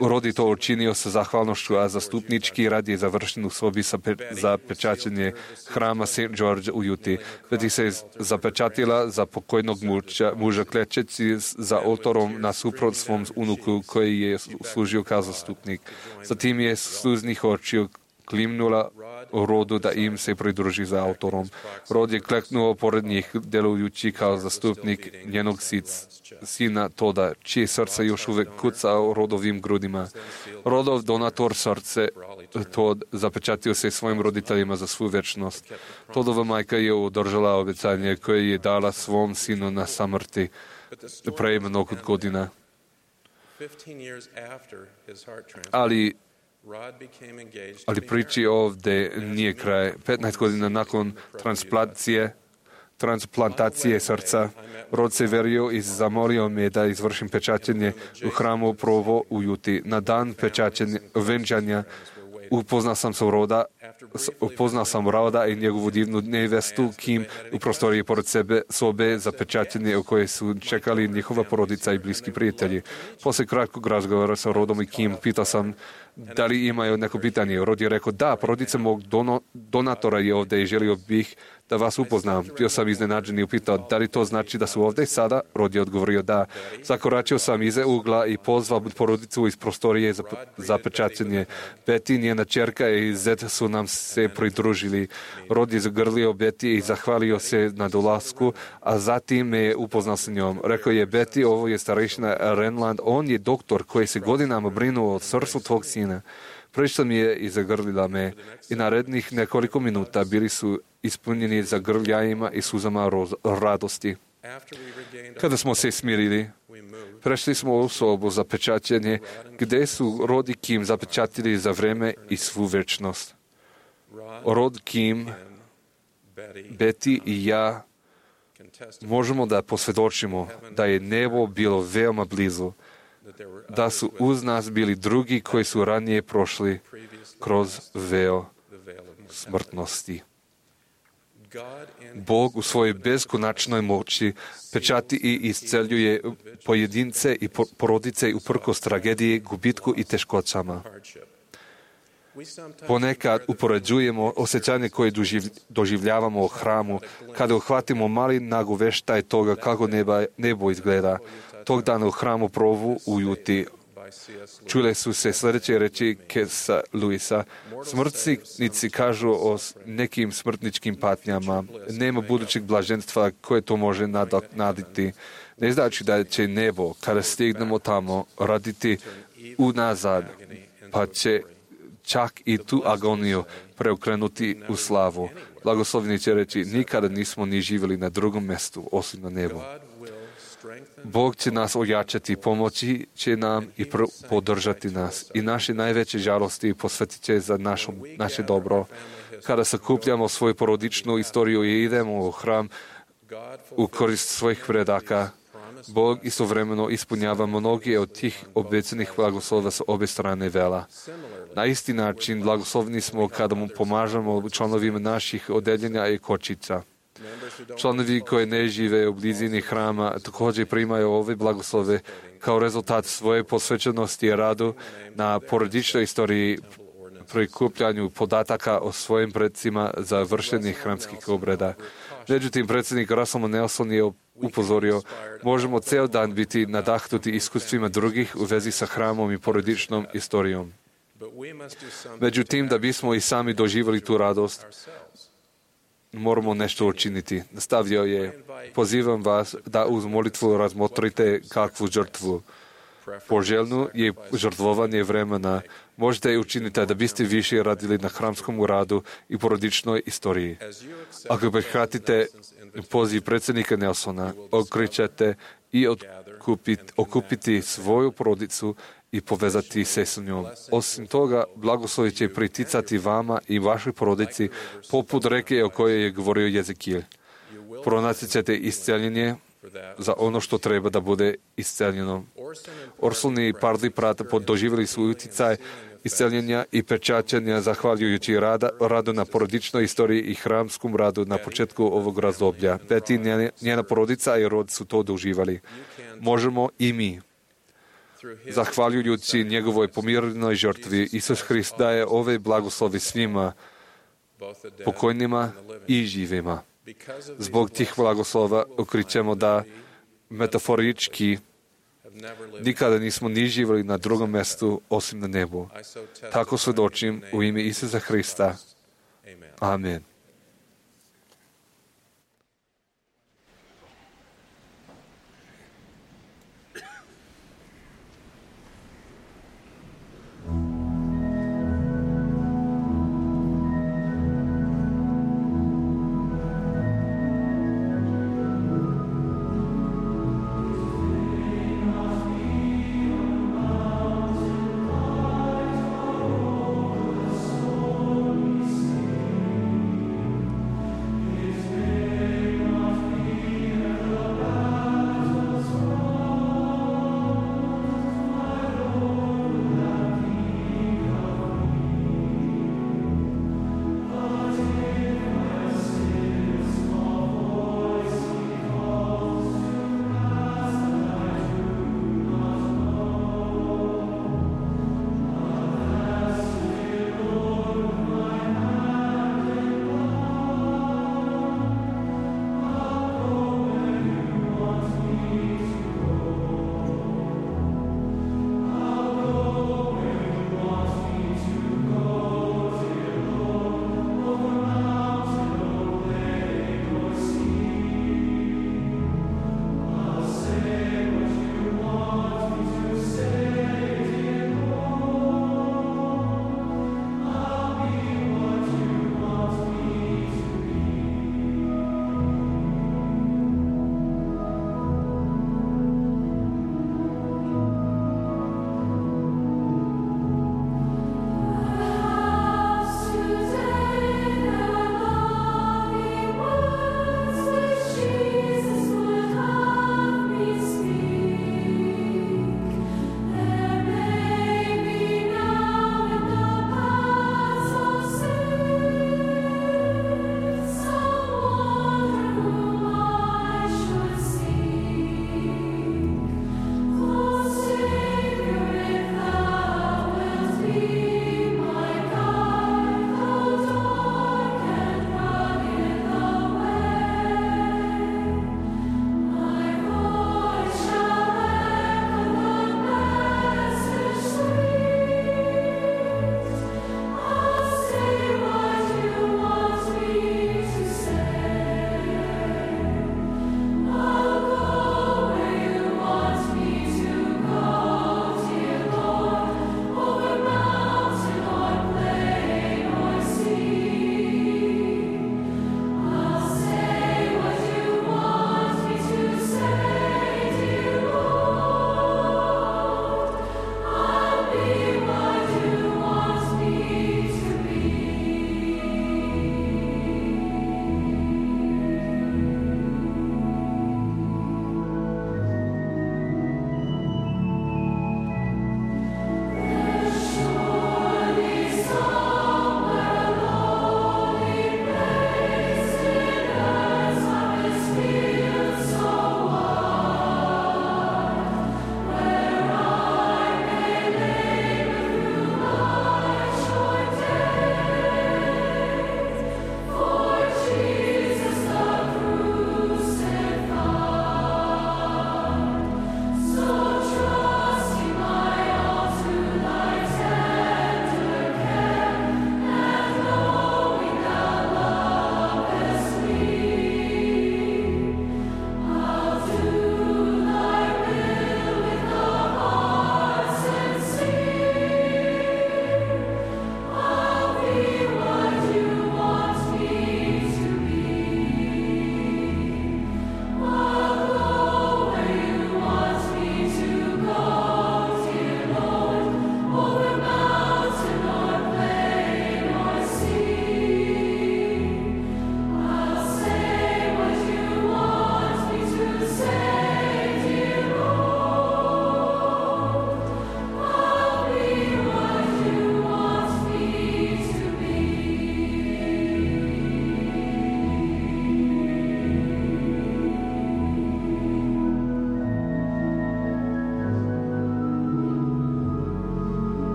Rod je to učinio sa zahvalnošću, a zastupnički rad je završen u sobi za pečaćenje hrama St. George u Utah. Betty se zapečatila za pokojnog muža klečeći za oltarom nasuprot svom unuku koji je služio kao zastupnik. Zatim je sluznih očiju klimnula Rodu da im se pridruži za oltarom. Rod je kleknuo pored njih, delujući kao zastupnik njenog sina Toda, čije srce još uvek kuca u Rodovim grudima. Rodov donator srce Tod zapečatio se svojim roditeljima za svu večnost. Todova majka je održala obećanje koje je dala svom sinu na samrti pre mnogo godina. Ali priči ovde nije kraj. 15 godina nakon transplantacije srca, Rod se verio i zamolio me da izvršim pečaćenje u hramu Provo u Utah. Na dan venčanja upoznao sam Roda i njegovu divnu nevestu Kim u prostoriji pored sobe za pečaćenje u kojoj su čekali njihova porodica i bliski prijatelji. Posle kratkog razgovora sa Rodom i Kim pitao sam da li imaju neko pitanje. Rod je rekao da, porodica mog donatora je ovde i želio bih da vas upoznam. Bio sam iznenađen i upitao da li to znači da su ovde sada? Rod je odgovorio da. Zakoračio sam iza ugla i pozvao porodicu iz prostorije za pečaćenje. Betty, njena ćerka i zet su nam se pridružili. Rod je zagrlio Betty i zahvalio se na dolasku, a zatim me je upoznao sa njom. Rekao je Betty, ovo je starešina Renland, on je doktor koji se godinama brinuo o srcu tvog sina. Prišla mi je i zagrlila me i narednih nekoliko minuta bili su ispunjeni zagrljajima i suzama radosti. Kada smo se smirili, prešli smo u sobu za pečaćenje gde su Rod i Kim zapečatili za vreme i svu večnost. Rod, Kim, Betty i ja možemo da posvedočimo da je nebo bilo veoma blizu, da su uz nas bili drugi koji su ranije prošli kroz veo smrtnosti. Bog u svojoj beskonačnoj moći pečati i isceljuje pojedince i porodice uprkos tragediji, gubitku i teškoćama. Ponekad upoređujemo osjećanje koje doživljavamo u hramu kada uhvatimo mali nagoveštaj toga kako nebo izgleda. Tog dana u hramu Provu u Utah čule su se sljedeće reči C.S. Lewisa. Smrtnici kažu o nekim smrtničkim patnjama. Nema budućeg blaženstva koje to može nadoknaditi. Ne znači da će nebo, kada stignemo tamo, raditi unazad, pa će čak i tu agoniju preokrenuti u slavu. Blagosloveni će reći, nikada nismo ni živjeli na drugom mjestu, osim na nebu. Bog će nas ojačati, pomoći će nam i podržati nas. I naše najveće žalosti posvetit će za naše dobro. Kada sakupljamo svoju porodičnu istoriju i idemo u hram u korist svojih predaka, Bog istovremeno ispunjava mnogi od tih obećanih blagoslova sa obe strane vela. Na isti način blagoslovni smo kada mu pomažemo članovima naših odeljenja i kočica. Članovi koji ne žive u blizini hrama također primaju ove blagoslove kao rezultat svoje posvećenosti i radu na porodičnoj istoriji, prikupljanju podataka o svojim predsima za vršenje hramskih obreda. Međutim, predsjednik Russell Nelson je upozorio, možemo ceo dan biti nadahnuti iskustvima drugih u vezi sa hramom i porodičnom istorijom. Međutim, da bismo i sami doživjeli tu radost, moramo nešto učiniti. Nastavio je, pozivam vas da uz molitvu razmotrite kakvu žrtvu. poželjno je žrtvovanje vremena. Možete i učiniti da biste više radili na hramskom radu i porodičnoj istoriji. Ako prihvatite poziv predsjednika Nelsona, okrećete i okupiti svoju porodicu i povezati se s njom. Osim toga, blagoslovi će priticati vama i vašoj porodici poput reke o kojoj je govorio Jezekijel. Pronaći ćete isceljenje za ono što treba da bude isceljeno. Orson i Parley Pratt doživjeli su utjecaj isceljenja i pečaćenja zahvaljujući radu na porodičnoj istoriji i hramskom radu na početku ovog razdoblja. Betty, njena porodica i rod su to doživjeli. Možemo i mi. Zahvaljujući njegovoj pomirenoj žrtvi, Isus Hrist daje ove blagoslovi svima, pokojnima i živima. Zbog tih blagoslova okrićemo da metaforički nikada nismo ni živjeli na drugom mjestu osim na nebu. Tako svjedočim u ime Isusa Hrista. Amen.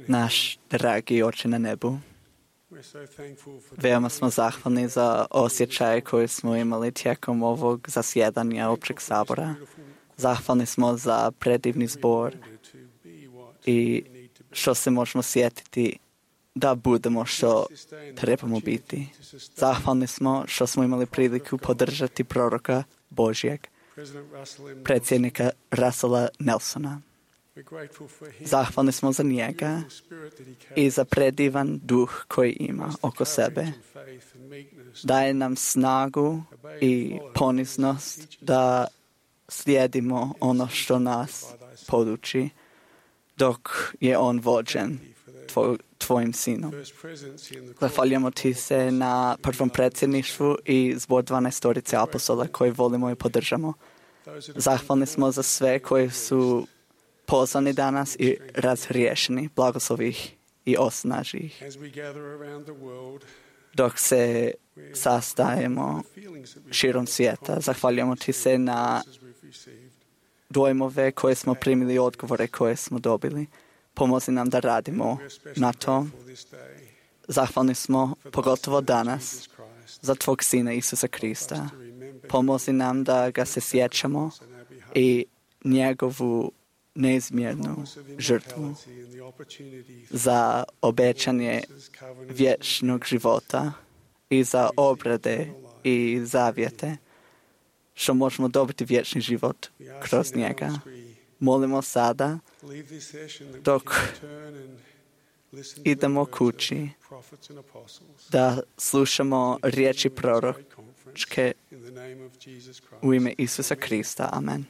Naš dragi Oče na nebu, veoma smo zahvalni za osjećaje koje smo imali tijekom ovog zasjedanja općeg sabora. Zahvalni smo za predivni zbor i što se možemo sjetiti da budemo što trebamo biti. Zahvalni smo što smo imali priliku podržati proroka Božjeg, predsjednika Russella Nelsona. Zahvalni smo za njega i za predivan duh koji ima oko sebe. Daje nam snagu i poniznost da slijedimo ono što nas poduči dok je on vođen tvojim sinom. Zahvaljujemo ti se na prvom predsjedništvu i zbor 12 apostola koji volimo i podržamo. Zahvalni smo za sve koji su pozvani danas i razriješeni. Blagoslovi ih i osnaži ih. Dok se sastajemo širom svijeta, zahvaljujemo ti se na dojmove koje smo primili i odgovore koje smo dobili. Pomozi nam da radimo na tom. Zahvalni smo pogotovo danas za tvog Sina Isusa Krista. Pomozi nam da ga se sjećamo i njegovu neizmjernu žrtvu za obećanje vječnog života i za obrade i zavjete što možemo dobiti vječni život kroz njega. Molimo sada dok idemo kući da slušamo riječi proročke u ime Isusa Krista. Amen.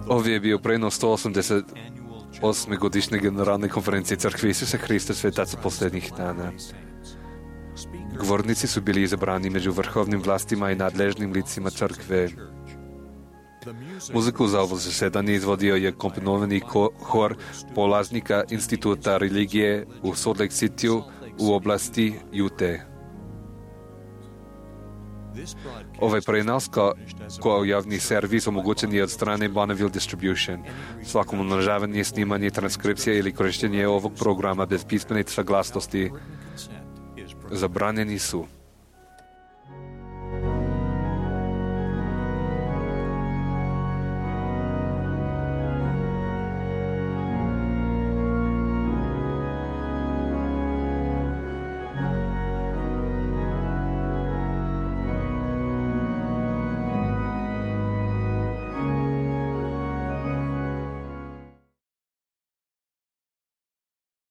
Ovdje je bio prenos 188. godišnje generalne konferencije Crkve Isusa Hrista svetaca posljednjih dana. Govornici su bili izabrani među vrhovnim vlastima i nadležnim licima crkve. Muziku za ovo zasedanje izvodio je komponovani hor polaznika Instituta religije u Salt Lake Cityu u oblasti Utah. Ovaj prenos kao javni servis omogućen je od strane Bonneville Distribution. Svakom umnožavanje, snimanje, transkripcija ili korištenje ovog programa bez pismene saglasnosti zabranjeni su.